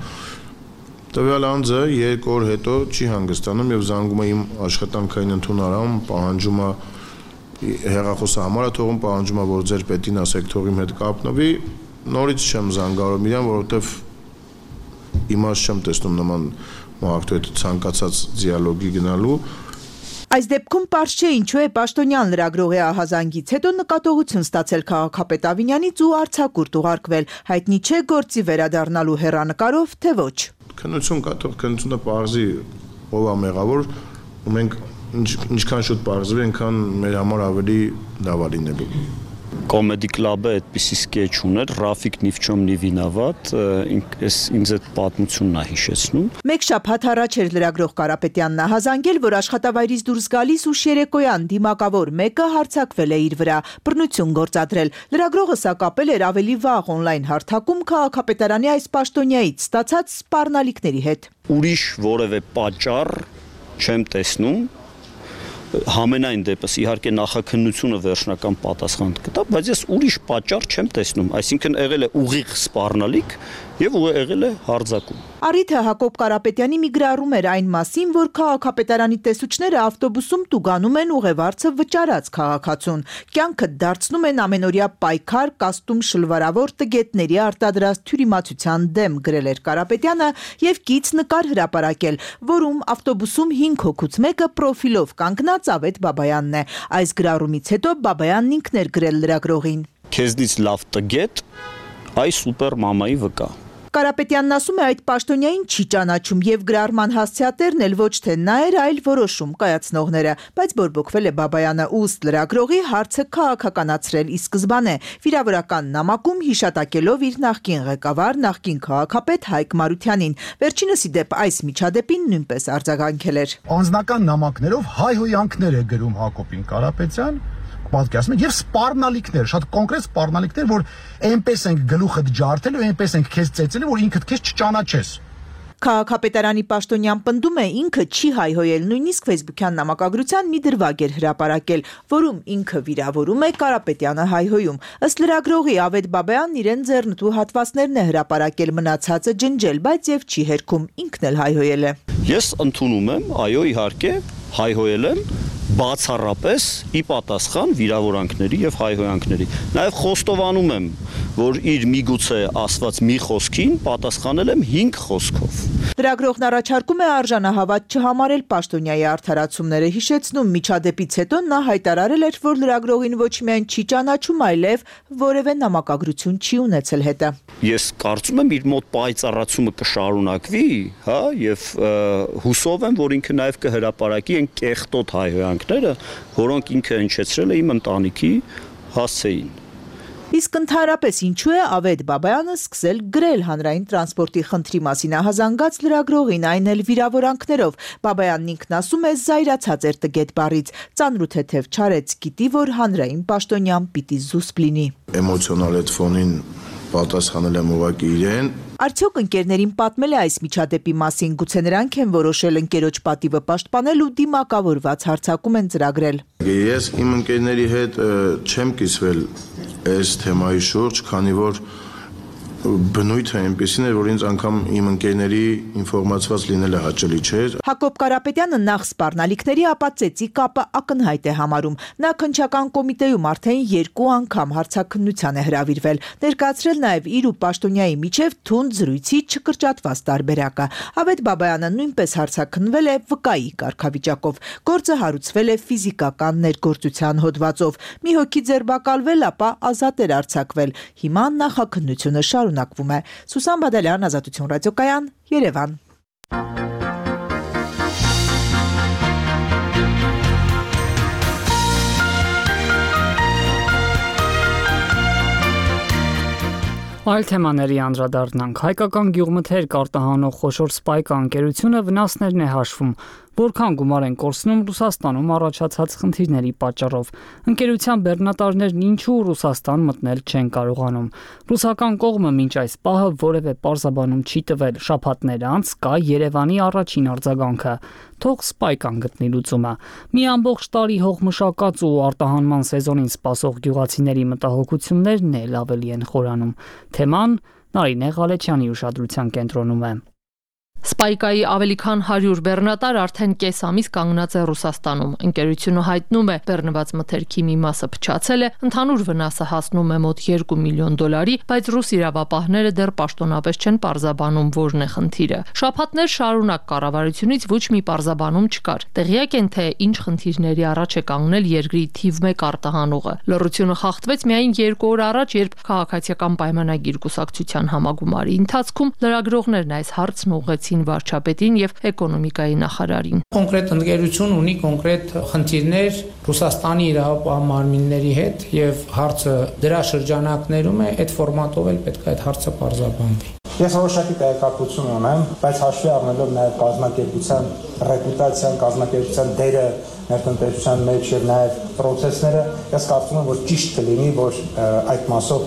տվյալ անձը 2 օր հետո չի հանգստանում եւ զանգում է իմ աշխատանքային ընդունարան, պահանջում է հեղախոսը համար է թողում, պահանջում է, որ ձեր պետին ասեք թող իմ հետ կապնվի, նորից չեմ զանգարում իրան, որովհետև իմաստ չեմ տեսնում նման մարդու հետ ցանկացած դիալոգի գնալու։ Այս դեպքում պարզ չէ ինչու է պաշտոնյան լրագրողի ահազանգից հետո նկատողություն ստացել քաղաքապետ Ավինյանից ու արձակուրդ ուղարկվել, հայտնի չէ գործի վերադառնալու հեռանկարով, թե ոչ։ Քննություն կա, թող քննությունը պարզի ով է մեղավոր, ու մենք ինչքան շուտ պարզվի, այնքան մեր համար ավելի լավ է լինելու։ Comedy Club-ը այդպիսի սկեչ ուներ, Ռաֆիկ ни в чем не վինավատ, ինձ այդ պատմությունն է հիշեցնում։ Մեկ շաբաթ առաջ էր լրագրող Կարապետյանն հազանգել, որ աշխատավայրից դուրս գալիս ուշ երեկոյան դիմակավոր մեկը հարձակվել է իր վրա, բռնություն գործադրել։ Լրագրողը սակապել էր ավելի վաղ on-line հարթակում քաղաքապետարանի այս պաշտոնյայից ստացած սպառնալիքների հետ։ Ուրիշ որևէ պատճառ չեմ տեսնում։ Համենայն դեպս իհարկե նախաքննությունը վերջնական պատասխան կտա, բայց ես ուրիշ պատճառ չեմ տեսնում, այսինքն եղել է ուղիղ սպառնալիք եւ եղել է հարձակում։ Առիթը Հակոբ Կարապետյանի մի գրառում էր այն մասին, որ քաղաքապետարանի տեսուչները ավտոբուսում տուգանում են ուղևորցը վճարած քաղաքացուն։ Կյանքը դարձնում են ամենօրյա պայքար, կաստում շլվարավոր տգետների արտադրած թյուրիմացության դեմ, գրել էր Կարապետյանը եւ կից նկար հրապարակել, որում ավտոբուսում 5 հոգուց մեկը պրոֆիլով կանգնած Ավետ Բաբայանն է։ Այս գրառումից հետո Բաբայանն ինքն էր գրել լրագրողին. Քեզնից լավ տգետ, այ սուպեր մամայի վկա։ Կարապետյանն ասում է այդ պաշտոնյային չի ճանաչում եւ գրառման հասցեատերն էլ ոչ թե նա էր, այլ որոշում կայացնողները, բայց բորբոքվել է Բաբայանը ուստի լրագրողի հարցը քաղաքականացրել ի սկզբանե, վիրավորական նամակում հիշատակելով իր նախկին ղեկավար, նախկին քաղաքապետ Հայկ Մարությանին։ Վերջինս ի դեպ այս միջադեպին նույնպես արձագանքել էր։ Անձնական նամակներով հայհոյանքներ է գրում Հակոբին Կարապետյան, պատկերացնում եք, եւ սպառնալիքներ, շատ կոնկրետ սպառնալիքներ, որ այնպես ենք գլուխդ ջարդել ու այնպես ենք քեզ ծեծել, որ ինքդ քեզ չճանաչես։ Քաղաքապետարանի պաշտոնյան պնդում է ինքը չի հայհոյել, նույնիսկ Facebook-յան նամակագրության մի դրվագ էր հրապարակել, որում ինքը վիրավորում է, Կարապետյանը հայհոյում։ Ըստ լրագրողի Ավետ Բաբայանն իրեն ձեռնտու հատվածներն է հրապարակել, մնացածը ջնջել, բայց եւ չի հերքում, ինքն էլ հայհոյել է։ Ես ընդունում եմ, այո, իհարկե, հայհոյել եմ բացառապես ի պատասխան վիրավորանքների եւ հայհոյանքների։ Նաեւ խոստովանում եմ, որ իր միգուցե ասված մի խոսքին պատասխանել եմ 5 խոսքով։ Լրագրողն առաջարկում է արժանահավատ չհամարել պաշտոնյայի արդարացումները, հիշեցնում միջադեպից հետո նա հայտարարել էր, որ լրագրողին ոչ միայն չի ճանաչում, այլև որևէ նամակագրություն չի ունեցել հետը։ Ես կարծում եմ իր մոտ պայծառացումը կշարունակվի, հա, եւ հուսով եմ, որ ինքը նաեւ կհրապարակի այն կեղտոտ հայհոյանքները, որոնք ինքը հնչեցրել է իմ ընտանիքի հասցեին։ Իսկ ընդհանրապես ինչու է Ավետ Բաբայանը սկսել գրել հանրային տրանսպորտի խնդրի մասին հազանգած լրագրողին, այն էլ վիրավորանքներով։ Բաբայանն ինքն ասում է զայրացած էր տգետ բառից, ծանր ու թեթև չարեց, գիտի, որ հանրային պաշտոնյան պիտի զուսպ լինի։ Էմոցիոնալ այդ ֆոնին պատասխանել եմ ուղղակի իրեն։ Արդյոք ընկերներին պատմել է այս միջադեպի մասին, գուցե նրանք են որոշել ընկերոջ պատիվը պաշտպանել ու դիմակավորված հարձակում են ծրագրել։ Ես իմ ընկերների հետ չեմ կիսվել այս թեմայի շուրջ, քանի որ բնույթը այնպեսին էր, որ ինձ անգամ իմ ընկերների ինֆորմացված լինելը հաճելի չէր։ Հակոբ Կարապետյանը նախ սպառնալիքների, ապա ծեծի կապը ակնհայտ է համարում։ Նա քննչական կոմիտեում արդեն 2 անգամ հարցաքննության է հրավիրվել, ներկայացրել նաև իր ու պաշտոնյայի միջև թունդ զրույցի չկրճատված տարբերակը։ Ավետ Բաբայանը նույնպես հարցաքննվել է վկայի կարգավիճակով։ Գործը հարուցվել է ֆիզիկական ներգործության հոդվածով։ Մի հոգի ձերբակալվել, ապա ազատ էր արձակվել։ Հիմա նախաքննությունը շարունակվում է։ Սուսան Բադալյան, Ազատություն ռադիոկայան, Երևան։ Այլ թեմաների անդրադառնանք։ Հայկական գյուղմթերք արտահանող խոշոր Սպայկա ընկերությունը վնասներն է հաշվում, որքան գումար են կորցնում Ռուսաստանում առաջացած խնդիրների պատճառով։ Ընկերության բեռնատարներն ինչու Ռուսաստան մտնել չեն կարողանում։ Ռուսական կողմը մինչ այս պահը որևէ պարզաբանում չի տվել։ Շաբաթներ անց կա Երևանի առաջին արձագանքը։ Թող Սպայկան գտնի լուծումը։ Մի ամբողջ տարի հողմշակած ու արտահանման սեզոնին սպասող գյուղացիների մտահոգություններն էլ ավելի են խորանում։ Թեման Նարինե Ղալեչյանի ուշադրության կենտրոնում է։ Սպայկայի ավելի քան 100 բեռնատար արդեն կես ամիս կանգնած է Ռուսաստանում։ Ընկերությունը հայտնում է, բեռնված մթերքի մի մասը փչացել է, ընդհանուր վնասը հասնում է մոտ $2 միլիոն, բայց ռուս իրավապահները դեռ պաշտոնապես չեն պարզաբանում որն է խնդիրը։ Շաբաթներ շարունակ կառավարությունից ոչ մի պարզաբանում չկար։ Տեղյակ են, թե ինչ խնդիրների առաջ է կանգնել երկրի թիվ 1 արտահանողը։ Լռությունը խախտվեց միայն 2 օր առաջ, երբ քաղաքացիական պայմանագիր կուսակցության համագումարի ընթացքում լրագրողներն այս հարցն ուղղեցին տվեցին վարչապետին եւ էկոնոմիկայի նախարարին։ Կոնկրետ ընկերություն ունի կոնկրետ խնդիրներ Ռուսաստանի իրավապահ մարմինների հետ եւ հարցը դրա շրջանակներում է, այդ ֆորմատով էլ պետք է այդ հարցը բարձրաբանվի։ Ես որոշակի տեղեկատվություն ունեմ, բայց հաշվի առնելով նաև կազմակերպության ռեպուտացիան, կազմակերպության դերը ներտնտեսության մեջ եւ նաև process-ները, ես կարծում եմ, որ ճիշտ կլինի, որ այդ մասով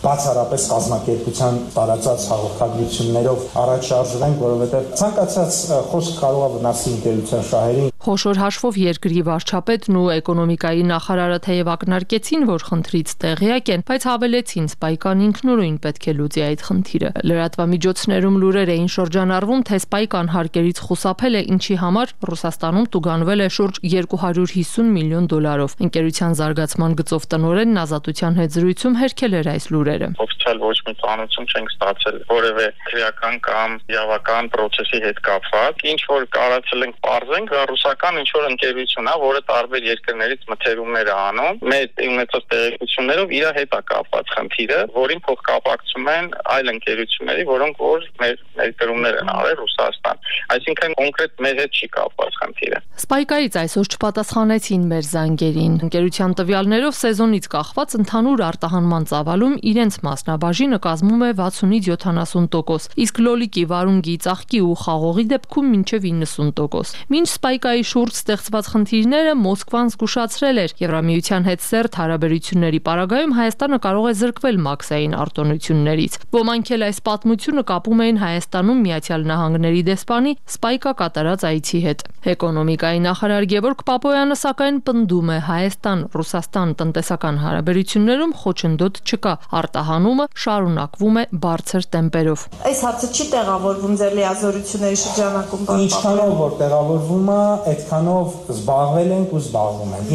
բացառապես կազմակերպության տարածած հաղորդագրություններով առաջ շարժվենք, որովհետև ցանկացած խոսք կարող է վնասի ընկերության շահերին։ Խոշոր հաշվով երկրի վարչապետն ու էկոնոմիկայի նախարարը թեև ակնարկեցին, որ խնդրից տեղյակ են, բայց հավելեցին Սպայկան ինքնուրույն պետք է լուծի այդ խնդիրը։ Լրատվամիջոցներում լուրեր էին շրջանառվում, թե Սպայկան հարկերից խուսափել է, ինչի համար Ռուսաստանում տուգանվել է շուրջ 250 միլիոն դոլարով։ Ընկերության զարգացման գծով տնօրենն Ազատության հետ զրույցում հերքել էր այս լուրերը։ Օֆիցիալ ոչ մի ծանոթություն չենք ստացել որևէ քրեական կամ իրավական process-ի հետ կապված։ Ինչ որ կարացել ենք բարձենք, դա ռուսական ինչ որ ընկերություն է, որը տարբեր երկրներից մթերումներ է անում։ Մեր ունեցած տեղեկություններով իր հետ է կապված խնդիրը, որին փոխկապակցում են այլ ընկերությունների, որոնք որ մեր ներկրումներ են արել Ռուսաստան։ Այսինքն կոնկրետ մեր հետ չի կապված խնդիրը։ Սպայկայից այսօր չպատասխանեցին մեր զանգերին։ Ընկերության տվյալներով սեզոնից կախված ընդհանուր արտահանման ծավալում իրենց մասնաբաժինը կազմում է 60-70%, իսկ լոլիկի, վարունգի, ծաղկի ու խաղողի դեպքում մինչև 90%։ Մինչ Սպայկայի շուրջ ստեղծված խնդիրները Մոսկվան զգուշացրել էր, Եվրամիության հետ սերտ հարաբերությունների պարագայում Հայաստանը կարող է զրկվել մաքսային արտոնություններից։ Ոմանք էլ այս պատմությունը կապում էին Հայաստանում Միացյալ Նահանգների դեսպանի Սպայկա կատարած այցի հետ։ Էկոնոմիկայի նախարար Գևորգ Պապոյանը սակայն պնդում է Հայաստան-Ռուսաստան տնտեսական հարաբերություններում խոչընդոտ չկա, արտահանումը շարունակվում է բարձր տեմպերով։ Այս հարցը չի տեղավորվում ձեր լիազորությունների շրջանակում։ Ինչքանով որ տեղավորվում է, այդքանով զբաղվել ենք ու զբաղվում ենք։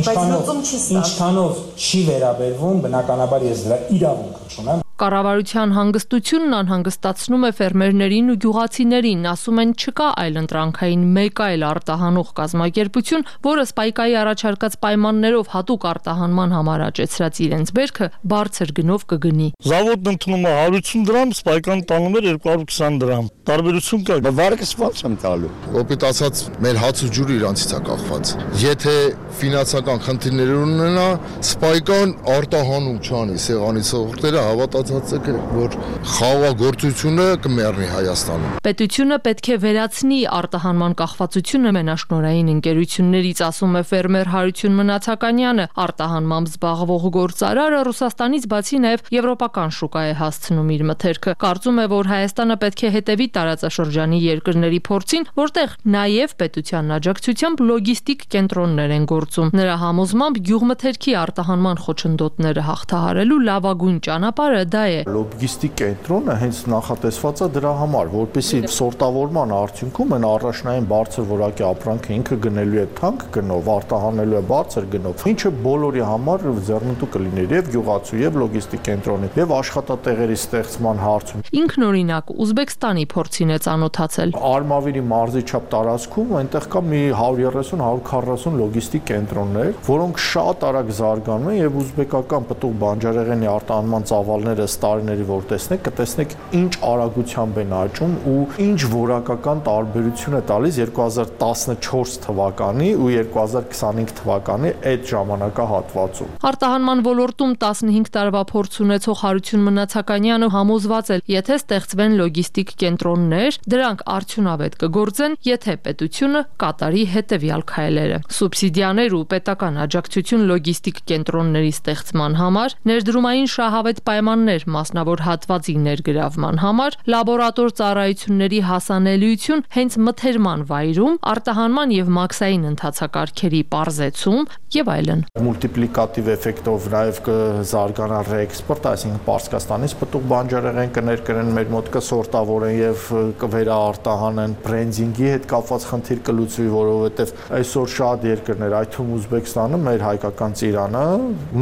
Ինչքանով չի վերաբերվում, բնականաբար ես դրա իրավունք չունեմ։ Կառավարության հանգստությունն անհանգստացնում է ֆերմերներին ու գյուղացիներին, ասում են չկա այլընտրանքային մեկ այլ արտահանող կազմակերպություն, որը Սպայկայի առաջարկած պայմաններով հատուկ արտահանման համար աճեցրած իրենց բերքը բարձր գնով կգնի։ Զավոդն ընդունում է 150 դրամ, Սպայկան տանում էր 220 դրամ։ Տարբերություն կա։ Վարկը ո՞նց եմ տալու։ Օպիտ ասած, մեր հաց ու ջուրը իրանցից է կախված։ Եթե ֆինանսական խնդիրներ ունենա, Սպայկան արտահանում չանի, սեղանից հողտերը հավատացած է, որ խաղաղագործությունը կմեռնի Հայաստանում։ Պետությունը պետք է վերացնի արտահանման կախվածությունը մենաշնորհային ընկերություններից, ասում է ֆերմեր Հարություն Մնացականյանը։ Արտահանմամբ զբաղվող գործարարը Ռուսաստանից բացի նաև եվրոպական շուկա է հասցնում իր մթերքը։ Կարծում է, որ Հայաստանը պետք է հետևի տարածաշրջանի երկրների փորձին, որտեղ նաև պետության աջակցությամբ լոգիստիկ կենտրոններ են գործում։ Նրա համոզմամբ գյուղմթերքի արտահանման խոչընդոտները հաղթահարելու լավագույն ճանապարհը դա է։ Լոգիստիկ կենտրոնը հենց նախատեսված է դրա համար, որպեսզի սորտավորման արդյունքում այն առաջնային բարձր որակի ապրանքը ինքը գնելու է թանկ գնով, արտահանելու է բարձր գնով, ինչը բոլորի համար ձեռնտու կլիներ եւ գյուղացու եւ լոգիստիկ կենտրոնի եւ աշխատատեղերի ստեղծման հարցում։ Ինքնօրինակ Ուզբեկստանի փորձին է ծանոթացել։ Արմավիրի մարզի չափ տարածքում այնտեղ կա մի 130-140 լոգիստիկ կենտրոններ, որոնք շատ արագ զարգանում են եւ ուզբեկական պտուղ բանջարեղենի արտահանման ծավալները տարիների որ տեսնեք, կտեսնեք ինչ արագությամբ են աճում ու ինչ որակական տարբերություն է տալիս 2014 թվականի ու 2025 թվականի այդ ժամանակահատվածում։ Արտահանման ոլորտում 15 տարվա փորձ ունեցող Հարություն Մնացականյանը համոզված է, եթե ստեղծվեն լոգիստիկ կենտրոններ, դրանք արդյունավետ կգործեն, եթե պետությունը կատարի հետևյալ քայլերը։ Սուբսիդիաներ ու պետական աջակցություն լոգիստիկ կենտրոնների ստեղծման համար, ներդրումային շահավետ պայմաններ մասնավոր հատվածի ներգրավման համար, լաբորատոր ծառայությունների հասանելիություն հենց մթերման վայրում, արտահանման եւ մաքսային ընթացակարգերի պարզեցում եւ այլն։ Մուլտիպլիկատիվ էֆեկտով նաեւ կզարգանա ռեէքսպորտ, այսինքն Պարսկաստանից պտուղ բանջարեղեն կներկրեն մեր մոտ կսորտավորեն եւ կվերաարտահանեն, բրենդինգի հետ կապված խնդիր կլուծվի, որովհետեւ այսօր շատ երկրներ, այդ թվում Ուզբեկստանը, մեր հայկական ծիրանը,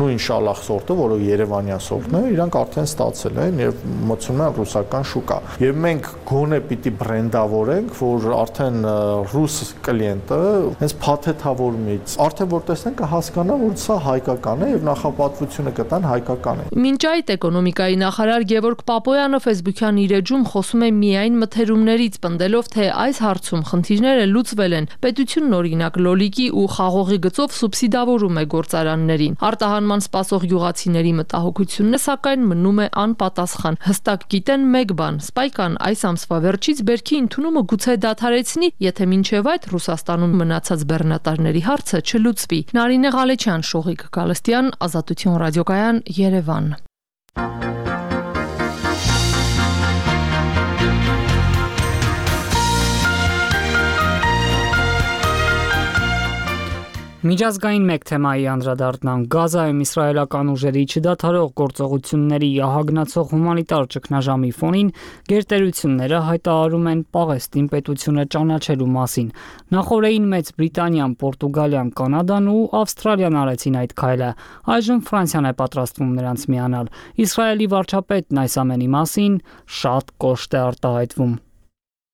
նույն շալախ սորտը, որը Երևանյան սորտն է, իրանք արդեն արդեն ստացել են եւ մտցնում են ռուսական շուկա։ Եվ մենք գոնե պիտի բրենդավորենք, որ արդեն ռուս կլիենտը հենց փաթեթավորումից արդեն որ տեսնեն կհասկանա, որ սա հայկական է եւ նախապատվությունը կտան հայկական է։ Մինչ այդ էկոնոմիկայի նախարար Գևորգ Պապոյանը Facebook-յան իր էջում խոսում է միայն մթերումներից, պնդելով, թե այս հարցում խնդիրները լուծվել են։ Պետությունն օրինակ լոլիկի ու խաղողի գծով սուբսիդավորում է գործարաններին։ Արտահանման սպասող գյուղացիների մտահոգությունն սակայն մնում է անպատասխան։ Հստակ գիտեն մեկ բան՝ Սպայկան այս ամսվա վերջից բերքի ընդունումը գուցե դադարեցնի, եթե մինչև այդ Ռուսաստանում մնացած բեռնատարների հարցը չլուծվի։ Նարինե Ղալեչյան, Շողիկ Գալստյան, Ազատություն ռադիոկայան, Երևան։ Միջազգային մեկ թեմայի անդրադառնանք Գազայում իսրայելական ուժերի չդադարող գործողությունների ահագնացող հումանիտար ճգնաժամի ֆոնին գերտերությունները հայտարարում են Պաղեստին պետությունը ճանաչելու մասին։ Նախորդին Մեծ Բրիտանիան, Պորտուգալիան, Կանադան ու Ավստրալիան արեցին այդ քայլը։ Այժմ Ֆրանսիան է պատրաստվում նրանց միանալ։ Իսրայելի վարչապետն այս ամենի մասին շատ կոշտ է արտահայտվում։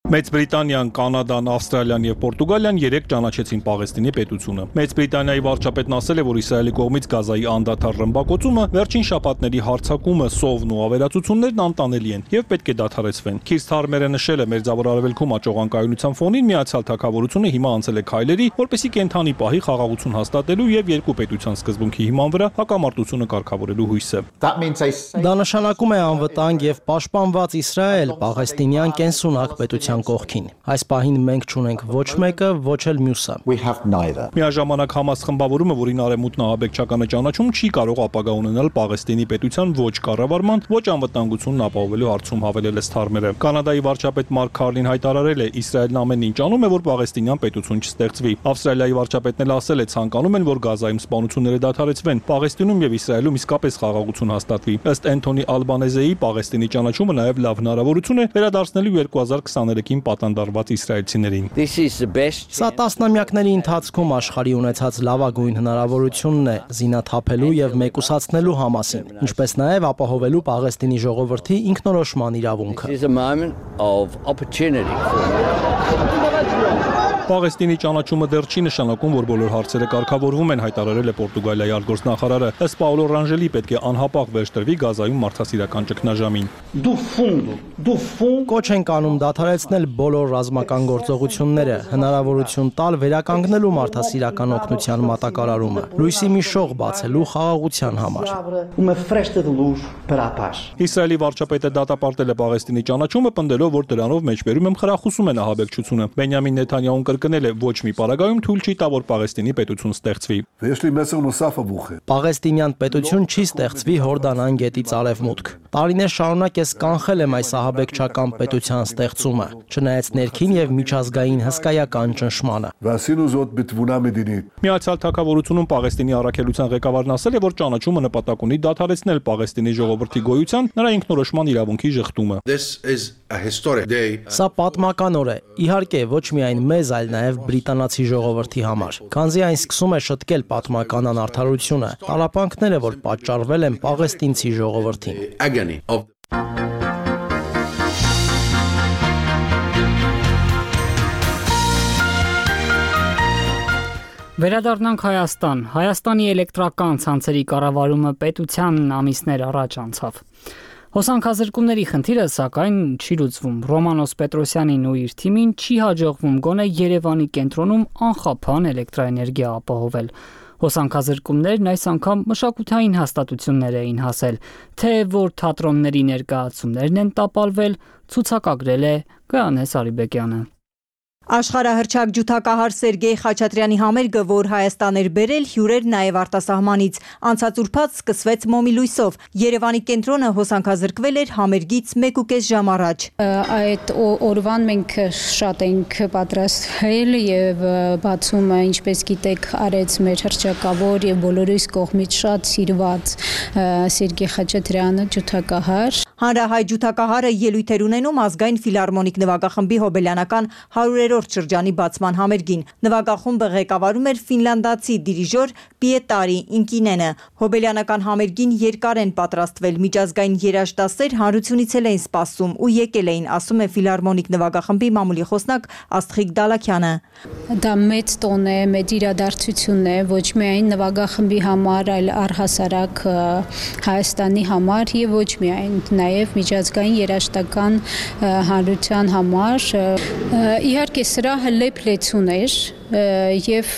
Մեծ Բրիտանիան, Կանադան, Ավստրալիան եւ Պորտուգալիան երեք ճանաչեցին Պաղեստինի պետությունը։ Մեծ Բրիտանիայի վարչապետն ասել է, որ Իսրայելի կողմից Գազայի անդադար ռմբակոծումը, վերջին շաբաթների հարձակումը, սովն ու ավերածություններն անտանելի են եւ պետք է դադարեցվեն։ Քիր Սթարմերը նշել է, Մերձավոր Արևելքում աճող անկայունության ֆոնին Միացյալ Թագավորությունը հիմա անցել է քայլերի, որպեսզի կենթանի պահի խաղաղություն հաստատելու եւ երկու պետության սկզբունքի հիման վրա հակամարտությունը կարգավորելու հույսը։ Դա նշանակում է անվտանգ եւ պաշտպանված Իսրայել, Պաղեստինյան կենսունակ պետության կողքին։ Այս պահին մենք չունենք ոչ մեկը, ոչ էլ մյուսը։ Միաժամանակ Համաս խմբավորումը, որին Արևմուտքն ահաբեկչականը ճանաչում, չի կարող ապագա ունենալ Պաղեստինի պետության ոչ կառավարման, ոչ անվտանգությունն ապահովելու հարցում, հավելել է Սթարմերը։ Կանադայի վարչապետ Մարկ Քարլին հայտարարել է, Իսրայելն ամեն ինչ անում է, որ Պաղեստինյան պետություն չստեղծվի։ Ավստրալիայի վարչապետն էլ ասել է, ցանկանում են, որ Գազայում սպանությունները դադարեցվեն, Պաղեստինում եւ Իսրայելում իսկապես խաղաղություն հաստատվի։ Ըստ Էնթոնի Ալբանեզեի Պաղեստինի ճանաչումը նաեւ լավ հնարավորություն է վերադարձնելու 2023-ին պատանդարված իսրայելցիներին։ Սա տասնամյակների ընթացքում աշխարհի ունեցած լավագույն հնարավորությունն է զինաթափելու եւ մեկուսացնելու Համասին, ինչպես նաեւ ապահովելու Պաղեստինի ժողովրդի ինքնորոշման իրավունքը։ Պաղեստինի ճանաչումը դեռ չի նշանակում, որ բոլոր հարցերը կարգավորվում են, հայտարարել է Պորտուգալիայի արտգործնախարարը։ Ըստ Պաոլո Ռանժելի պետք է անհապաղ վերջ տրվի Գազայում մարդասիրական ճգնաժամին։ Կոչ ենք անում դադարեցնել բոլոր ռազմական գործողությունները, հնարավորություն տալ վերականգնելու մարդասիրական օգնության մատակարարումը, լույսի մի շող բացելու խաղաղության համար։ Իսրայելի վարչապետը դատապարտել է Պաղեստինի ճանաչումը, պնդելով, որ դրանով մեջբերում եմ խրախուսում են ահաբեկչությունը։ Բենյամին Նեթանյահուն կրկնել է, ոչ մի պարագայում թույլ չի տա, որ Պաղեստինի պետություն ստեղծվի։ Պաղեստինյան պետություն չի ստեղծվի Հորդանան գետից արևմուտք։ Տարիներ շարունակ ես կանխել եմ այս ահաբեկչական պետության ստեղծումը, չնայած ներքին եւ միջազգային հսկայական ճնշմանը։ Միացյալ Թագավորությունում Պաղեստինի առաքելության ղեկավարն ասել է, որ ճանաչումը նպատակ ունի դադարեցնել Պաղեստինի ժողովրդի գոյության, նրա ինքնորոշման իրավունքի ժխտումը։ Սա պատմական օր է, իհարկե ոչ միայն մեզ, այլ նաեւ բրիտանացի ժողովրդի համար, քանզի այն սկսում է շտկել պատմական անարդարությունը, տառապանքները, որ պատճառվել են պաղեստինցի ժողովրդին։ Վերադառնանք Հայաստան։ Հայաստանի էլեկտրական ցանցերի կառավարումը պետության ամիսներ առաջ անցավ։ Հոսանքազրկումների խնդիրը սակայն չի լուծվում։ Ռոմանոս Պետրոսյանին ու իր թիմին չի հաջողվում գոնե Երևանի կենտրոնում անխափան էլեկտրաէներգիա ապահովել։ Հոսանքազրկումներն այս անգամ մշակութային հաստատություններ էին հասել, թե որ թատրոնների ներկայացումներն են տապալվել, ցուցակագրել է Գայանե Սարիբեկյանը։ Աշխարհահռչակ ջութակահար Սերգեյ Խաչատրյանի համերգը, որ Հայաստան էր բերել, հյուրեր նաև արտասահմանից։ Անցած ուրբաթ սկսվեց մոմի լույսով։ Երևանի կենտրոնը հոսանքազրկվել էր համերգից 1.5 ժամ առաջ։ Այդ օրվան մենք շատ ենք պատրաստվել եւ բացումը, ինչպես գիտեք, արեց մեր հռչակավոր եւ բոլորիս կողմից շատ սիրված Սերգեյ Խաչատրյանը, ջութակահար։ Հանրահայ ջութակահարը ելույթ էր ունենում ազգային ֆիլհարմոնիկ նվագախմբի հոբելյանական 100-րդ շրջանի բացման համերգին։ Նվագախումբը ղեկավարում էր ֆինլանդացի դիրիժոր Պիետարի Ինկինենը։ Հոբելյանական համերգին երկար են պատրաստվել, միջազգային երաժշտասեր հանրությունից էին սպասում ու եկել էին, ասում է ֆիլհարմոնիկ նվագախմբի մամուլի խոսնակ Աստղիկ Դալաքյանը։ Դա մեծ տոն է, մեծ իրադարձություն է, ոչ միայն նվագախմբի համար, այլ առհասարակ Հայաստանի համար եւ ոչ միայն, նաեւ միջազգային երաժշտական հանրության համար։ Իհարկե սրահը լեփ-լեցուն էր եւ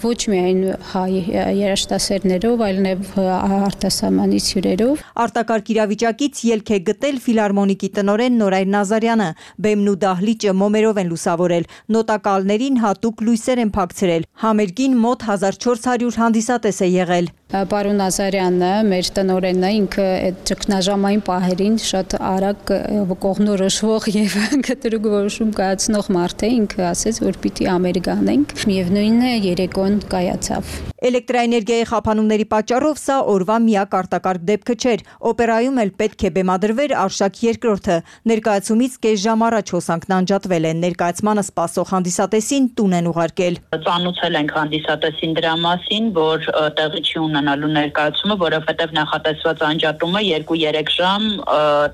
ոչ միայն հայ երաժշտասերներով, այլև արտասահմանից հյուրերով։ Արտակարգ իրավիճակից ելք է գտել ֆիլհարմոնիկի տնօրեն Նորայր Նազարյանը։ Բեմն ու դահլիճը մոմերով են լուսավորել, նոտակալներին հատուկ լույսեր են փակցրել։ Համերգին մոտ 1400 հանդիսատես է եղել։ Պարոն Նազարյանը, մեր տնօրենը, ինքը այդ ճգնաժամային պահերին շատ արագ կողմնորոշվող եւ կտրուկ որոշում կայացնող մարդ է, ինքը ասեց, որ պիտի համերգ անենք։ Միևնույնն է, երեկոն կայացավ։ Էլեկտրաէներգիայի խափանումների պատճառով սա օրվա միակ արտակարգ դեպքը չէր։ Օպերայում էլ պետք է բեմադրվեր Արշակ II-ը։ Ներկայացումից կես ժամ առաջ հոսանքն անջատվել է։ Ներկայացմանը սպասող հանդիսատեսին տուն են ուղարկել։ Ծանոթել ենք հանդիսատեսին դրա մասին, որ տեղի չի ունենալու ներկայացումը, որովհետև նախատեսված անջատումը 2-3 ժամ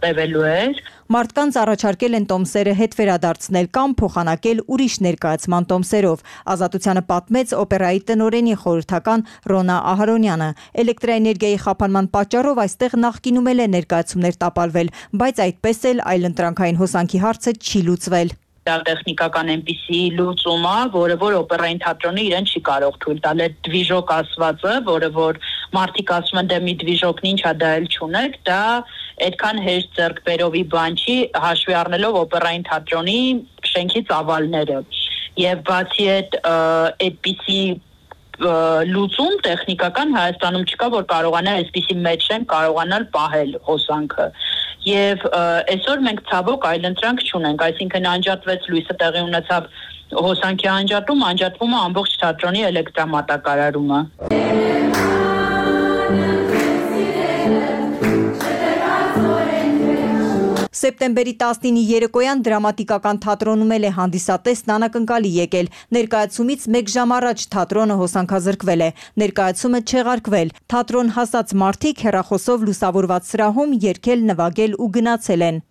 տևելու էր։ Մարդկանց առաջարկել են տոմսերը հետ վերադարձնել կամ փոխանակել ուրիշ ներկայացման տոմսերով։ Ազատությանը պատմեց օպերայի տնօրենի խորհրդական Ռոնա Ահարոնյանը։ Էլեկտրաէներգիայի խափանման պատճառով այստեղ նախկինում էլ է ներկայացումներ տապալվել, բայց այդպես էլ այլընտրանքային հոսանքի հարցը չի լուծվել։ Դա տեխնիկական այնպիսի լուծում է, որը որ օպերային թատրոնը իրեն չի կարող թույլ տալ։ Այդ դվիժոկ ասվածը, որը որ մարդիկ ասում են դե մի դվիժոկն ինչ է, դա էլ չունեք, դա այդքան հեշտ ձեռքբերովի բան չի, հաշվի առնելով օպերային թատրոնի շենքի ծավալները։ Եվ բացի այդպիսի լուծում տեխնիկական Հայաստանում չկա, որ կարողանա այսպիսի մեծ շենք կարողանալ պահել հոսանքը։ Եվ այսօր մենք ցավոք այլընտրանք չունենք, այսինքն անջատվեց լույսը, տեղի ունեցավ հոսանքի անջատվում է ամբողջ թատրոնի էլեկտրամատակարարումը։ Սեպտեմբերի 19-ի երեկոյան դրամատիկական թատրոնում էլ է հանդիսատեսն անակնկալի եկել։ Ներկայացումից 1 ժամ առաջ թատրոնը հոսանքազրկվել է։ Ներկայացումը չեղարկվել։ Թատրոն հասած մարդիկ հեռախոսով լուսավորված սրահում երգել, նվագել ու գնացել են։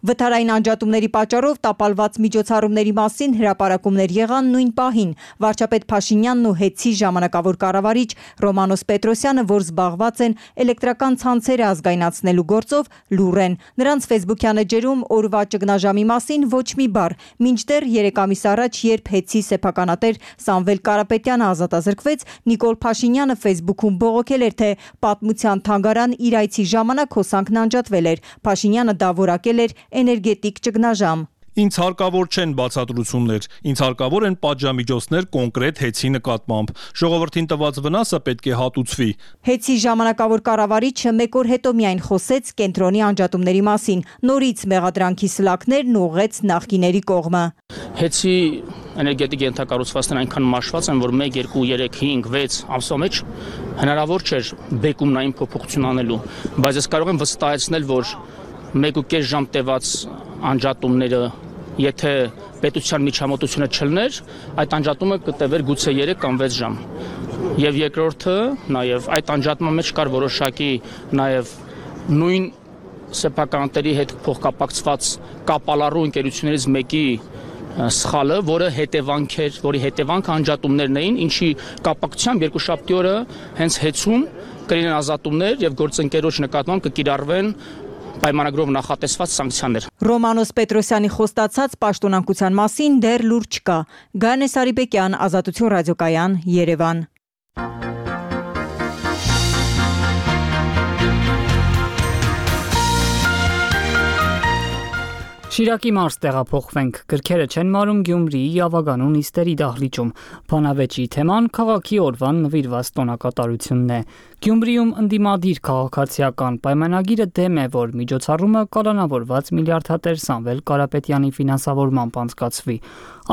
Վթարային անջատումների պատճառով տապալված միջոցառումների մասին հրապարակումներ եղան նույն պահին։ Վարչապետ Փաշինյանն ու ՀԵՑ-ի ժամանակավոր կառավարիչ Ռոմանոս Պետրոսյանը, որ զբաղված են էլեկտրական ցանցերը ազգայնացնելու գործով, լուռ են։ Նրանց ֆեյսբուքյան էջերում օրվա ճգնաժամի մասին ոչ մի բառ։ Մինչդեռ 3 ամիս առաջ, երբ ՀԵՑ-ի սեփականատեր Սամվել Կարապետյանը ազատազրկվեց, Նիկոլ Փաշինյանը ֆեյսբուքում բողոքել էր, թե պատմության թանգարան իր այցի ժամանակ հոսանքն անջատվել էր։ Փաշինյանը դա որակել էր էներգետիկ ճգնաժամ։ Ինձ հարկավոր չեն բացատրություններ, ինձ հարկավոր են պատժամիջոցներ կոնկրետ ՀԵՑ-ի նկատմամբ։ Ժողովրդին տված վնասը պետք է հատուցվի։ ՀԵՑ-ի ժամանակավոր կառավարիչը 1 օր հետո միայն խոսեց կենտրոնի անջատումների մասին, նորից մեղադրանքի սլաքներն ուղղեց նախկիների կողմը։ ՀԵՑ-ի էներգետիկ ենթակառուցվածքներն այնքան մաշված են, որ 1, 2, 3, 5, 6 ամսվա մեջ հնարավոր չէր բեկումնային փոփոխություն անելու, բայց ես կարող եմ վստահեցնել, որ 1.5 ժամ տևած անջատումները, եթե պետության միջամտությունը չլներ, այդ անջատումը կտևեր գուցե 3 կամ 6 ժամ։ Եվ երկրորդը, նաև այդ անջատման մեջ կար որոշակի նաև նույն սեփականատերի հետ փոխկապակցված կապալառու ընկերություններից մեկի սխալը, որի հետևանքը անջատումներն էին, ինչի կապակցությամբ երկուշաբթի օրը հենց ՀԵՑ-ում կլինեն ազատումներ եւ գործընկերոջ նկատմամբ կկիրառվեն պայմանագրով նախատեսված սանկցիաներ։ Ռոմանոս Պետրոսյանի խոստացած պաշտոնանկության մասին դեռ լուր չկա։ Գայանե Սարիբեկյան, Ազատություն ռադիոկայան, Երևան։ Շիրակի մարզ տեղափոխվենք, գրքերը չեն մարում Գյումրիի Ավագանու նիստերի դահլիճում, բանավեճի թեման քաղաքի օրվան նվիրված տոնակատարությունն է։ Գյումրիում ընդդիմադիր քաղաքացիական պայմանագիրը դեմ է, որ միջոցառումը կալանավորված միլիարդատեր Սամվել Կարապետյանի ֆինանսավորմամբ անցկացվի։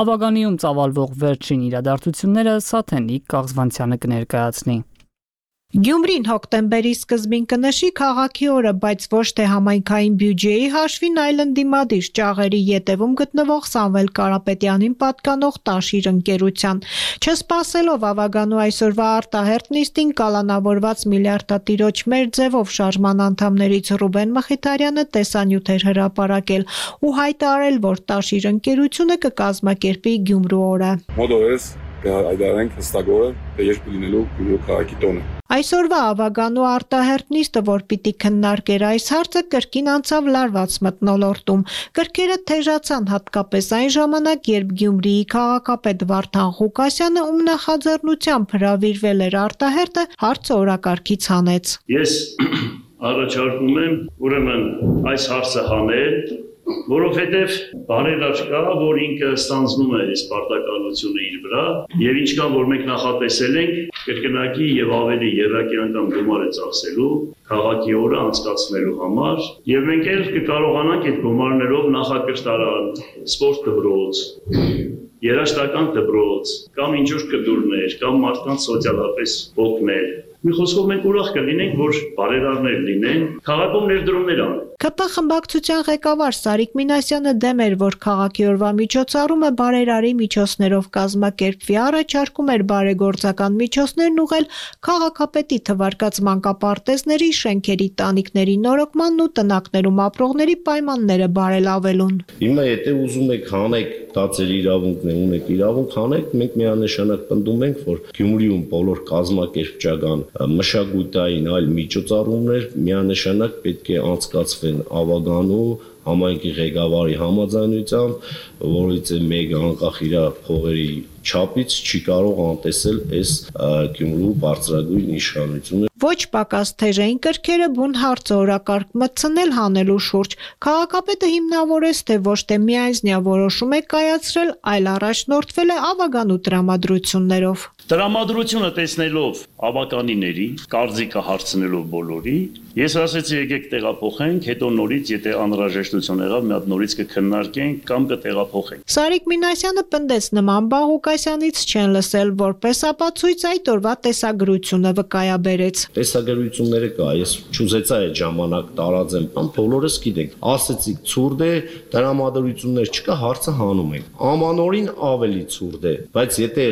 Ավագանիում ծավալվող վերջին իրադարձությունները Սաթենիկ Կաղզվանցյանը կներկայացնի։ Գյումրին հոկտեմբերի սկզբին կնշի քաղաքի օրը, բայց ոչ թե համայնքային բյուջեի հաշվին, այլ ընդդիմադիր ճաղերի ետևում գտնվող Սամվել Կարապետյանին պատկանող Տաշիր ընկերության։ Չսպասելով Ավագանու այսօրվա արտահերթ նիստին կալանավորված միլիարդատիրոջ մեր ձևով շարժման անդամներից Ռուբեն Մխիթարյանը տեսանյութ էր հրապարակել ու հայտարարել, որ Տաշիր ընկերությունը կկազմակերպի Գյումրու օրը։ Մոդորես կհայտարարենք հստակորը, թե երբ կլինելու Գյումրու քաղաքի տոնը։ Այսօրվա Ավագանու արտահերթ նիստը, որ պիտի քննարկեր այս հարցը, կրկին անցավ լարված մթնոլորտում։ Գրքերը թեժացան հատկապես այն ժամանակ, երբ Գյումրիի քաղաքապետ Վարդան Ղուկասյանը, ում նախաձեռնությամբ հրավիրվել էր արտահերթը, հարցը օրակարգից հանեց։ Ես առաջարկում եմ ուրեմն այս հարցը հանել, որովհետև բարերար կա, որ ինքը ստանձնում է այս պարտականությունը իր վրա, եւ ինչքան որ մենք նախատեսել ենք կրկնակի եւ ավելի երրակի գումար է ծախսելու քաղաքի օրը անցկացնելու համար, եւ մենք էլ կկարողանանք այդ գումարներով նախակրթարան, սպորտ դպրոց, երաժշտական դպրոց, կամ ինչ-որ կդուրներ, կամ մարդկանց սոցիալապես օգնել։ Մի խոսքով մենք ուրախ կլինենք, որ բարերարներ լինեն, քաղաքում ներդրումներ անեն։ ԿՊ խմբակցության ղեկավար Սարիկ Մինասյանը դեմ էր, որ քաղաքի օրվա միջոցառումը բարերարի միջոցներով կազմակերպվի, առաջարկում էր բարեգործական միջոցներն ուղղել քաղաքապետի թվարկած մանկապարտեզների, շենքերի, տանիքների նորոգմանն ու տնակներում ապրողների պայմանները բարելավելուն։ Հիմա եթե ուզում եք հանեք, դա ձեր իրավունքն է, ունեք իրավունք հանեք, մենք միանշանակ պնդում ենք, որ Գյումրիում բոլոր կազմակերպչական, մշակութային այլ միջոցառումներ միանշանակ պետք է անցկացվեն Ավագանու համայնքի ղեկավարի համաձայնությամբ, որից մեկ անկախ իր փողերի չափից չի կարող անտեսել այս Գյումրու բարձրագույն իշխանությունը։ Ոչ պակաս թեժ էին կրքերը բուն հարցը օրակարգ մտցնել հանելու շուրջ։ Քաղաքապետը հիմնավորեց, թե ոչ թե միայնձնյա որոշում է կայացրել, այլ առաջնորդվել է Ավագանու տրամադրություններով։ Տրամադրությունը տեսնելով ավականիների, կարծիքը հարցնելով բոլորի, ես ասեցի եկեք տեղափոխենք, հետո նորից, եթե անհրաժեշտություն եղավ, մի հատ նորից կքննարկենք կամ կտեղափոխենք։ Սարիկ Մինասյանը պնդեց նման բան Ղուկասյանից չեն լսել, որպես ապացույց այդ օրվա տեսագրությունը վկայաբերեց։ Տեսագրությունները կա, ես չուզեցա այդ ժամանակ տարածեմ, բոլորս գիտենք, ասեցիք ցուրտ է, տրամադրություններ չկա, հարցը հանում ենք։ Ամանորին ավելի ցուրտ է, բայց եթե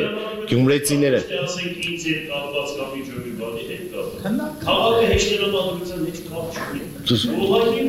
գյումրեցիները ասենք ինձ հետ կապված կամ ինչ-որ բանի հետ կապված։ Քաղաքը հեշտ տրամադրության հետ կապ չունի։ Ուղղակի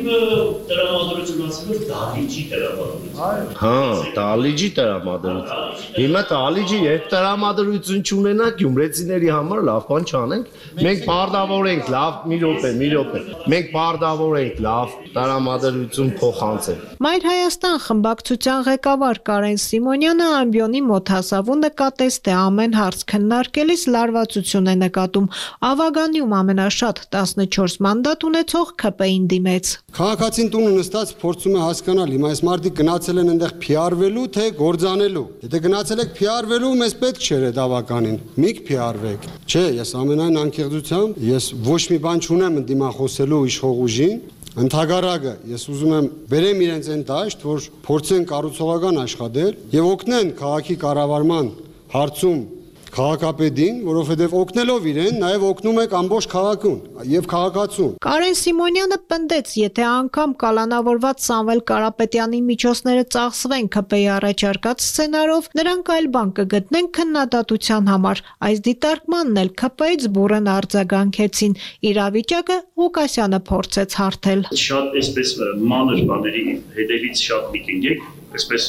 տրամադրություն ասելով դահլիճի տրամադրություն։ Հա, դահլիճի տրամադրություն։ Հիմա դահլիճի հետ տրամադրություն չունենա գյումրեցիների համար լավ բան չանենք։ Մենք բարդավորենք լավ, մի րոպե։ Մենք բարդավորենք լավ տրամադրություն փոխանցել։ Մայր Հայաստան խմբակցության ղեկավար Կարեն Սիմոնյանը ամբիոնի մոտ հասավ ու նկատեց, թե ամեն հարց քննարկելիս լարվածություն է նկատում։ Ավագանիում ամենաշատ 14 մանդատ ունեցող ՔՊ-ին դիմեց։ Քաղաքացին տունը նստած փորձում է հասկանալ, հիմա այս մարդիկ գնացել են այնտեղ փիարվելու, թե գործանելու։ Եթե գնացել եք փիարվելու, մեզ պետք չէր այդ ավականին։ Միք փիարվեք։ Չէ, ես ամենայն անկեղծությամբ, ես ոչ մի բան չունեմ ընդդիմախոսելու իշխող ուժին։ Ընդհակառակը ես ուզում եմ բերեմ իրենց այն դաշտ, որ փորձեն կառուցողական աշխատել եւ օգնեն քաղաքի կառավարման հարցում քաղաքապետին, որովհետև օգնելով իրեն, նաև օգնում եք ամբողջ քաղաքուն եւ քաղաքացուն։ Կարեն Սիմոնյանը պնդեց, եթե անգամ կալանավորված Սամվել Կարապետյանի միջոցները ծախսվեն ՔՊ-ի առաջարկած սցենարով, նրանք այլ բան կգտնեն քննադատության համար։ Այս դիտարկմանն էլ ՔՊ-ից բուրըն արձագանքեցին։ Իրավիճակը Ղուկասյանը փորձեց հարթել։ Շատ այսպես մանր բաների հետևից շատ միտինգ եք այսպես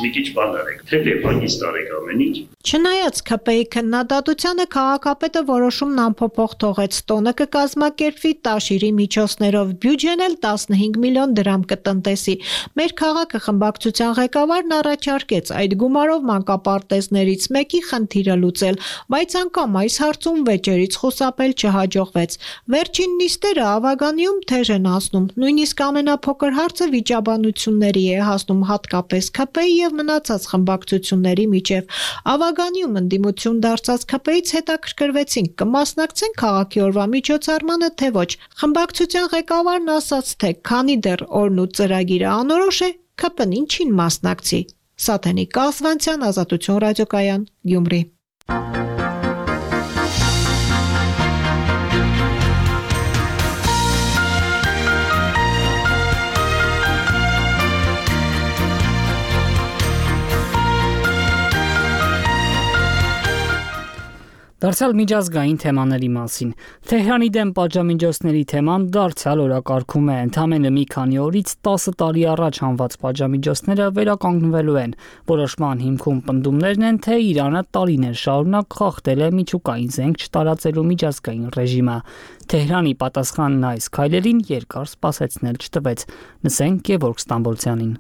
մի քիչ բան արեք, թե հագիստ արեք ամեն ինչ։ Չնայած ՔՊ-ի քննադատությանը քաղաքապետը որոշումն անփոփոխ թողեց, տոնը կկազմակերպվի տաշիրի միջոցներով, բյուջեն էլ 15 միլիոն դրամ կտնտեսի։ Մեր քաղաքը խմբակցության ղեկավարն առաջարկեց այդ գումարով մանկապարտեզներից մեկի խնդիրը լուծել, բայց անգամ այս հարցում վեճերից խուսափել չհաջողվեց։ Վերջին նիստերը Ավագանիում թեժ են անցնում, նույնիսկ ամենափոքր հարցը վիճաբանությունների է հասնում, հատկապես ՔՊ-ի եւ մնացած խմբակցությունների միջև։ Ավագանիում ընդդիմություն դարձած ՔՊ-ից հետաքրքրվեցինք, կմասնակցեն քաղաքի օրվա միջոցառմանը, թե ոչ։ Խմբակցության ղեկավարն ասաց, թե քանի դեռ օրն ու ծրագիրը անորոշ է, ՔՊ-ն ինչին մասնակցի։ Սաթենիկ Կասվանցյան, Ազատություն ռադիոկայան, Գյումրի։ Դարձյալ միջազգային թեմաների մասին։ Թեհրանի դեմ պատժամիջոցների թեման դարձյալ օրակարգում է։ Ընդամենը մի քանի օրից 10 տարի առաջ հանված պատժամիջոցները վերականգնվելու են։ Որոշման հիմքում պնդումներն են, թե Իրանը տարիներ շարունակ խախտել է միջուկային զենք չտարածելու միջազգային ռեժիմը։ Թեհրանի պատասխանն այս քայլերին երկար սպասեցնել չտվեց։ Լսենք Գևորգ Ստամբոլցյանին։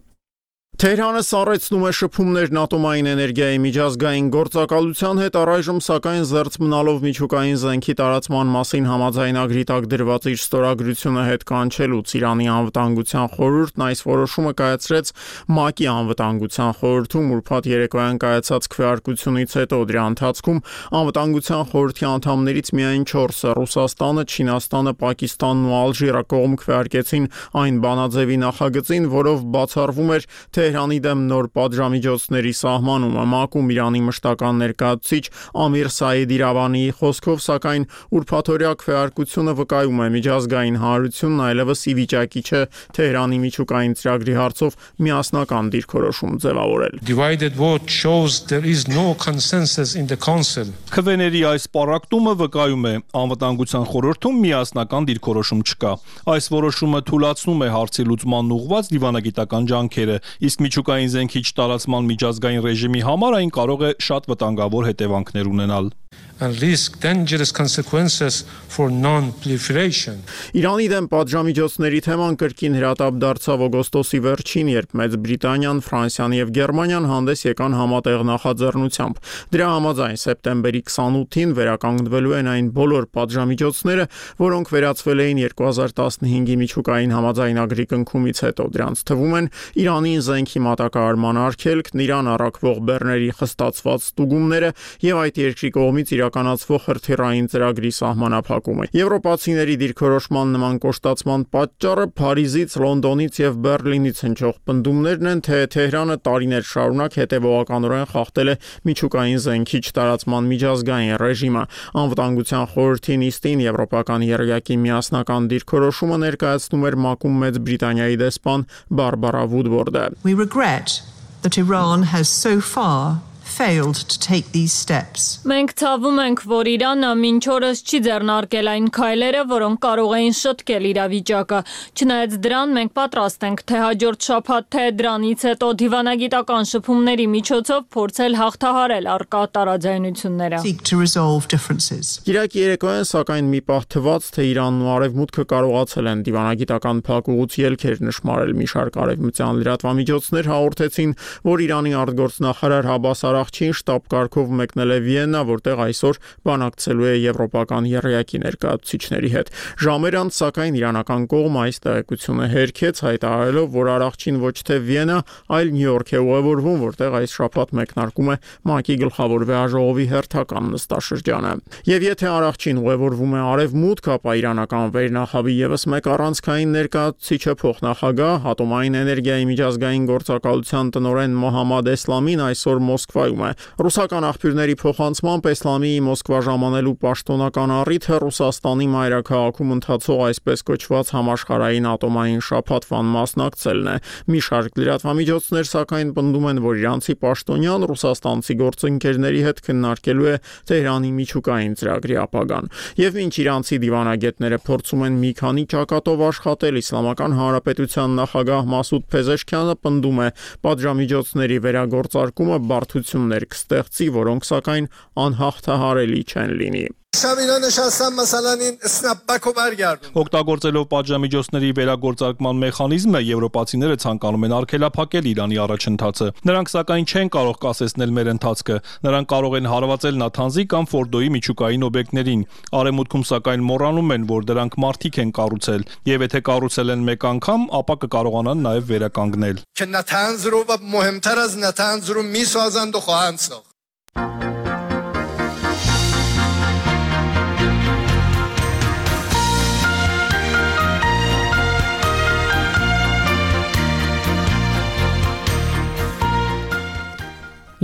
Թեհրանը սառեցնում է շփումներն ատոմային էներգիայի միջազգային գործակալության հետ, առայժմ սակայն զերծ մնալով միջուկային զենքի տարածման մասին համաձայնագրի տակ դրված իր ստորագրությունը հետ կանչելուց Իրանի անվտանգության խորհուրդն այս որոշումը կայացրեց ՄԱԿ-ի անվտանգության խորհրդում ուրբաթ երեկոյան կայացած քվեարկությունից հետո։ Դրա ընթացքում անվտանգության խորհրդի անդամներից միայն 4-ը՝ Ռուսաստանը, Չինաստանը, Պակիստանն ու Ալժիրը կողմ քվեարկեցին այն բանաձևի նախագծին, որով բացառվում էր Թեհրանի դեմ նոր պատժամիջոցների սահմանումը։ ՄԱԿ-ում Իրանի մշտական ներկայացուցիչ Ամիր Սաիդ Իրավանիի խոսքով, սակայն ուրբաթօրյա քվեարկությունը վկայում է միջազգային հանրությունն այլևս ի վիճակի չէ Թեհրանի միջուկային ծրագրի հարցով միասնական դիրքորոշում ձևավորել։ Քվեների այս պառակտումը վկայում է անվտանգության խորհրդում միասնական դիրքորոշում չկա։ Այս որոշումը թույլատնում է հարցի լուծմանն ուղղված դիվանագիտական ջանքերը, իսկ միջուկային զենքի չտարածման միջազգային ռեժիմի համար այն կարող է շատ վտանգավոր հետևանքներ ունենալ։ And risk dangerous consequences for non-proliferation. Իրանի դեմ պատժամիջոցների թեման կրկին հրատապ դարձավ օգոստոսի վերջին, երբ Մեծ Բրիտանիան, Ֆրանսիան եւ Գերմանիան հանդես եկան համատեղ նախաձեռնությամբ։ Դրա համաձայն սեպտեմբերի 28-ին վերականգնվելու են այն բոլոր պատժամիջոցները, որոնք վերացվել էին 2015-ի միջուկային համաձայնագրի կնքումից հետո։ Դրանց թվում են Իրանին զենքի մատակարարման արգելքն, Իրան առաքվող բեռների խստացված ստուգումները եւ այդ երկրի կողմից իրականացվող հրթիռային ծրագրի սահմանափակումը։ Եվրոպացիների դիրքորոշման նման կոշտացման պատճառը Փարիզից, Լոնդոնից եւ Բեռլինից հնչող պնդումներն են, թե Թեհրանը տարիներ շարունակ հետևողականորեն խախտել է միջուկային զենքի չտարածման միջազգային ռեժիմը։ Անվտանգության խորհրդի նիստին եվրոպական եռյակի միասնական դիրքորոշումը ներկայացնում էր ՄԱԿ-ում Մեծ Բրիտանիայի դեսպան Բարբարա Վուդվորդը։ We regret that Iran has so far failed to take these steps. Մենք ցավում ենք, որ Իրանը մինչ օրս չի ձեռնարկել այն քայլերը, որոնք կարող էին շտկել իրավիճակը։ Չնայած դրան, մենք պատրաստ ենք թե հաջորդ շաբաթ, թե դրանից հետո դիվանագիտական շփումների միջոցով փորձել հաղթահարել առկա տարաձայնությունները։ Seek to resolve differences. Կիրակի երեկոյան սակայն մի պահ թվաց, թե Իրանն ու Արևմուտքը կարողացել են դիվանագիտական փակուղուց ելքեր նշмарել։ Մի շարք արևմտյան լրատվամիջոցներ հաղորդեցին, որ Իրանի արտգործնախարար Հաբաս Արաղչին շտաբ կարգով մեկնել է Վիեննա, որտեղ այսօր բանակցելու է եվրոպական եռյակի ներկայացուցիչների հետ։ Ժամեր անց, սակայն իրանական կողմը այս տեղեկությունը հերքեց, հայտարարելով, որ Արաղչին ոչ թե Վիեննա, այլ Նյու Յորք է ուղևորվում, որտեղ այս շաբաթ մեկնարկում է ՄԱԿ-ի գլխավոր վեհաժողովի հերթական նստաշրջանը։ Եվ եթե Արաղչին ուղևորվում է Արևմուտք, ապա իրանական վերնախավի եւս մեկ առանցքային ներկայացուցիչը փոխնախագահ ատոմային էներգիայի միջազգային գործակալության տնօրեն Մոհամմադ Էսլամին այսօր Մոսկվա Մոսկվայում է։ Ռուսական աղբյուրների փոխանցմամբ Էսլամիի Մոսկվա ժամանելու պաշտոնական առիթը Ռուսաստանի մայրաքաղաքում ընթացող այսպես կոչված համաշխարհային ատոմային շաբաթվան մասնակցելն է։ Մի շարք լրատվամիջոցներ սակայն պնդում են, որ իրանցի պաշտոնյան ռուսաստանցի գործընկերների հետ քննարկելու է Թեհրանի միջուկային ծրագրի ապագան։ Եվ մինչ իրանցի դիվանագետները փորձում են մի քանի ճակատով աշխատել, Իսլամական Հանրապետության նախագահ Մասուդ Փեզեշքյանը պնդում է, պատժամիջոցների վերագործարկումը բարդություններ կստեղծի, որոնք սակայն անհաղթահարելի չեն լինի։ Օգտագործելով պատժամիջոցների վերագործարկման մեխանիզմը, եվրոպացիները ցանկանում են արգելափակել Իրանի առաջընթացը։ Նրանք սակայն չեն կարող կասեցնել մեր ընթացքը։ Նրանք կարող են հարվածել Նաթանզի կամ Ֆորդոյի միջուկային օբյեկտներին։ Արևմուտքում սակայն մոռանում են, որ դրանք մարդիկ են կառուցել, եւ եթե կառուցել են մեկ անգամ, ապա կկարողանան նաեւ վերականգնել։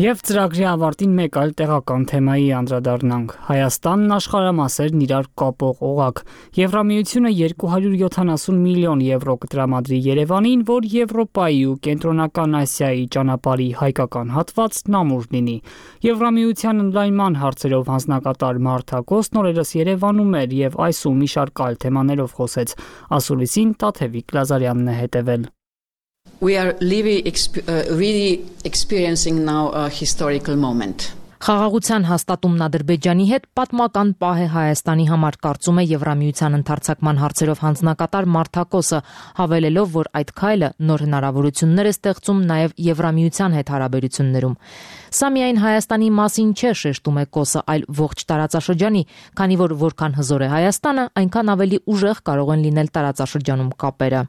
Եվ ծրագրի ավարտին մեկ այլ տեղական թեմայի անդրադառնանք։ Հայաստանն աշխարհամասերն իրար կապող օղակ։ Եվրամիությունը 270 միլիոն եվրո կտրամադրի Երևանին, որ Եվրոպայի ու Կենտրոնական Ասիայի ճանապարհի հայկական հատվածն ամուր լինի։ Եվրամիության ընդլայնման հարցերով հանձնակատար Մարթա Կոստն Երևանում էր եւ այս ու մի շարք այլ թեմաներով խոսեց։ Ասուլիսին Տաթևիկ Լազարյանն է հետևել։ We are really experiencing now a historical moment. Խաղաղության հաստատումն Ադրբեջանի հետ պատմական պահ է Հայաստանի համար, կարծում է Եվրամիության ընդարձակման հարցերով հանձնակատար Մարթա Կոսը, հավելելով, որ այդ քայլը նոր հնարավորություններ է ստեղծում նաև Եվրամիության հետ հարաբերություններում։ Սա միայն Հայաստանի մասին չէ, շեշտում է Կոսը, այլ ողջ տարածաշրջանի, քանի որ որքան հզոր է Հայաստանը, այնքան ավելի ուժեղ կարող են լինել տարածաշրջանում կապերը։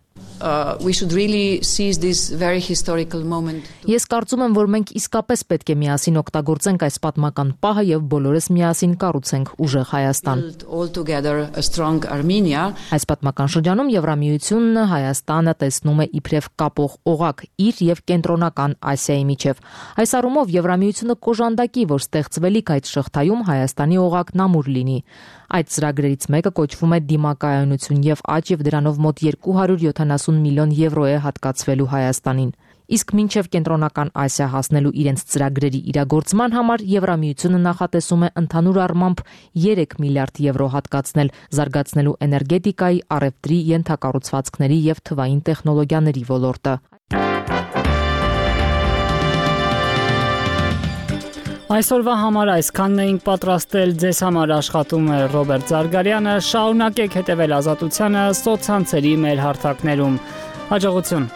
We should really seize this very historical moment. Ես կարծում եմ, որ մենք իսկապես պետք է միասին օգտագործենք այս պատմական պահը եւ բոլորս միասին կառուցենք ուժեղ Հայաստան։ All together a strong Armenia. Այս պատմական շրջանում Եվրամիությունն Հայաստանը տեսնում է իբրև կապող օղակ իր եւ Կենտրոնական Ասիայի միջև։ Այս առումով Եվրամիությունը կոժանդակի, որ ստեղծվելիք այդ շղթայում Հայաստանի օղակն ամուր լինի։ Այդ ծրագրերից մեկը կոչվում է դիմակայունություն եւ աճ եւ դրանով մոտ 270 միլիոն եվրո է հատկացվելու Հայաստանին։ Իսկ մինչև Կենտրոնական Ասիա հասնելու իրենց ծրագրերի իրագործման համար Եվրամիությունը նախատեսում է ընդհանուր առմամբ 3 միլիարդ եվրո հատկացնել զարգացնելու էներգետիկայի, առևտրի, ենթակառուցվածքների եւ թվային տեխնոլոգիաների ոլորտը։ Այսօրվա համար այսքանն էինք պատրաստել, ձեզ համար աշխատում է Ռոբերտ Զարգարյանը, շարունակեք հետևել Ազատությանը սոցցանցերի մեր հարթակներում։ Հաջողություն։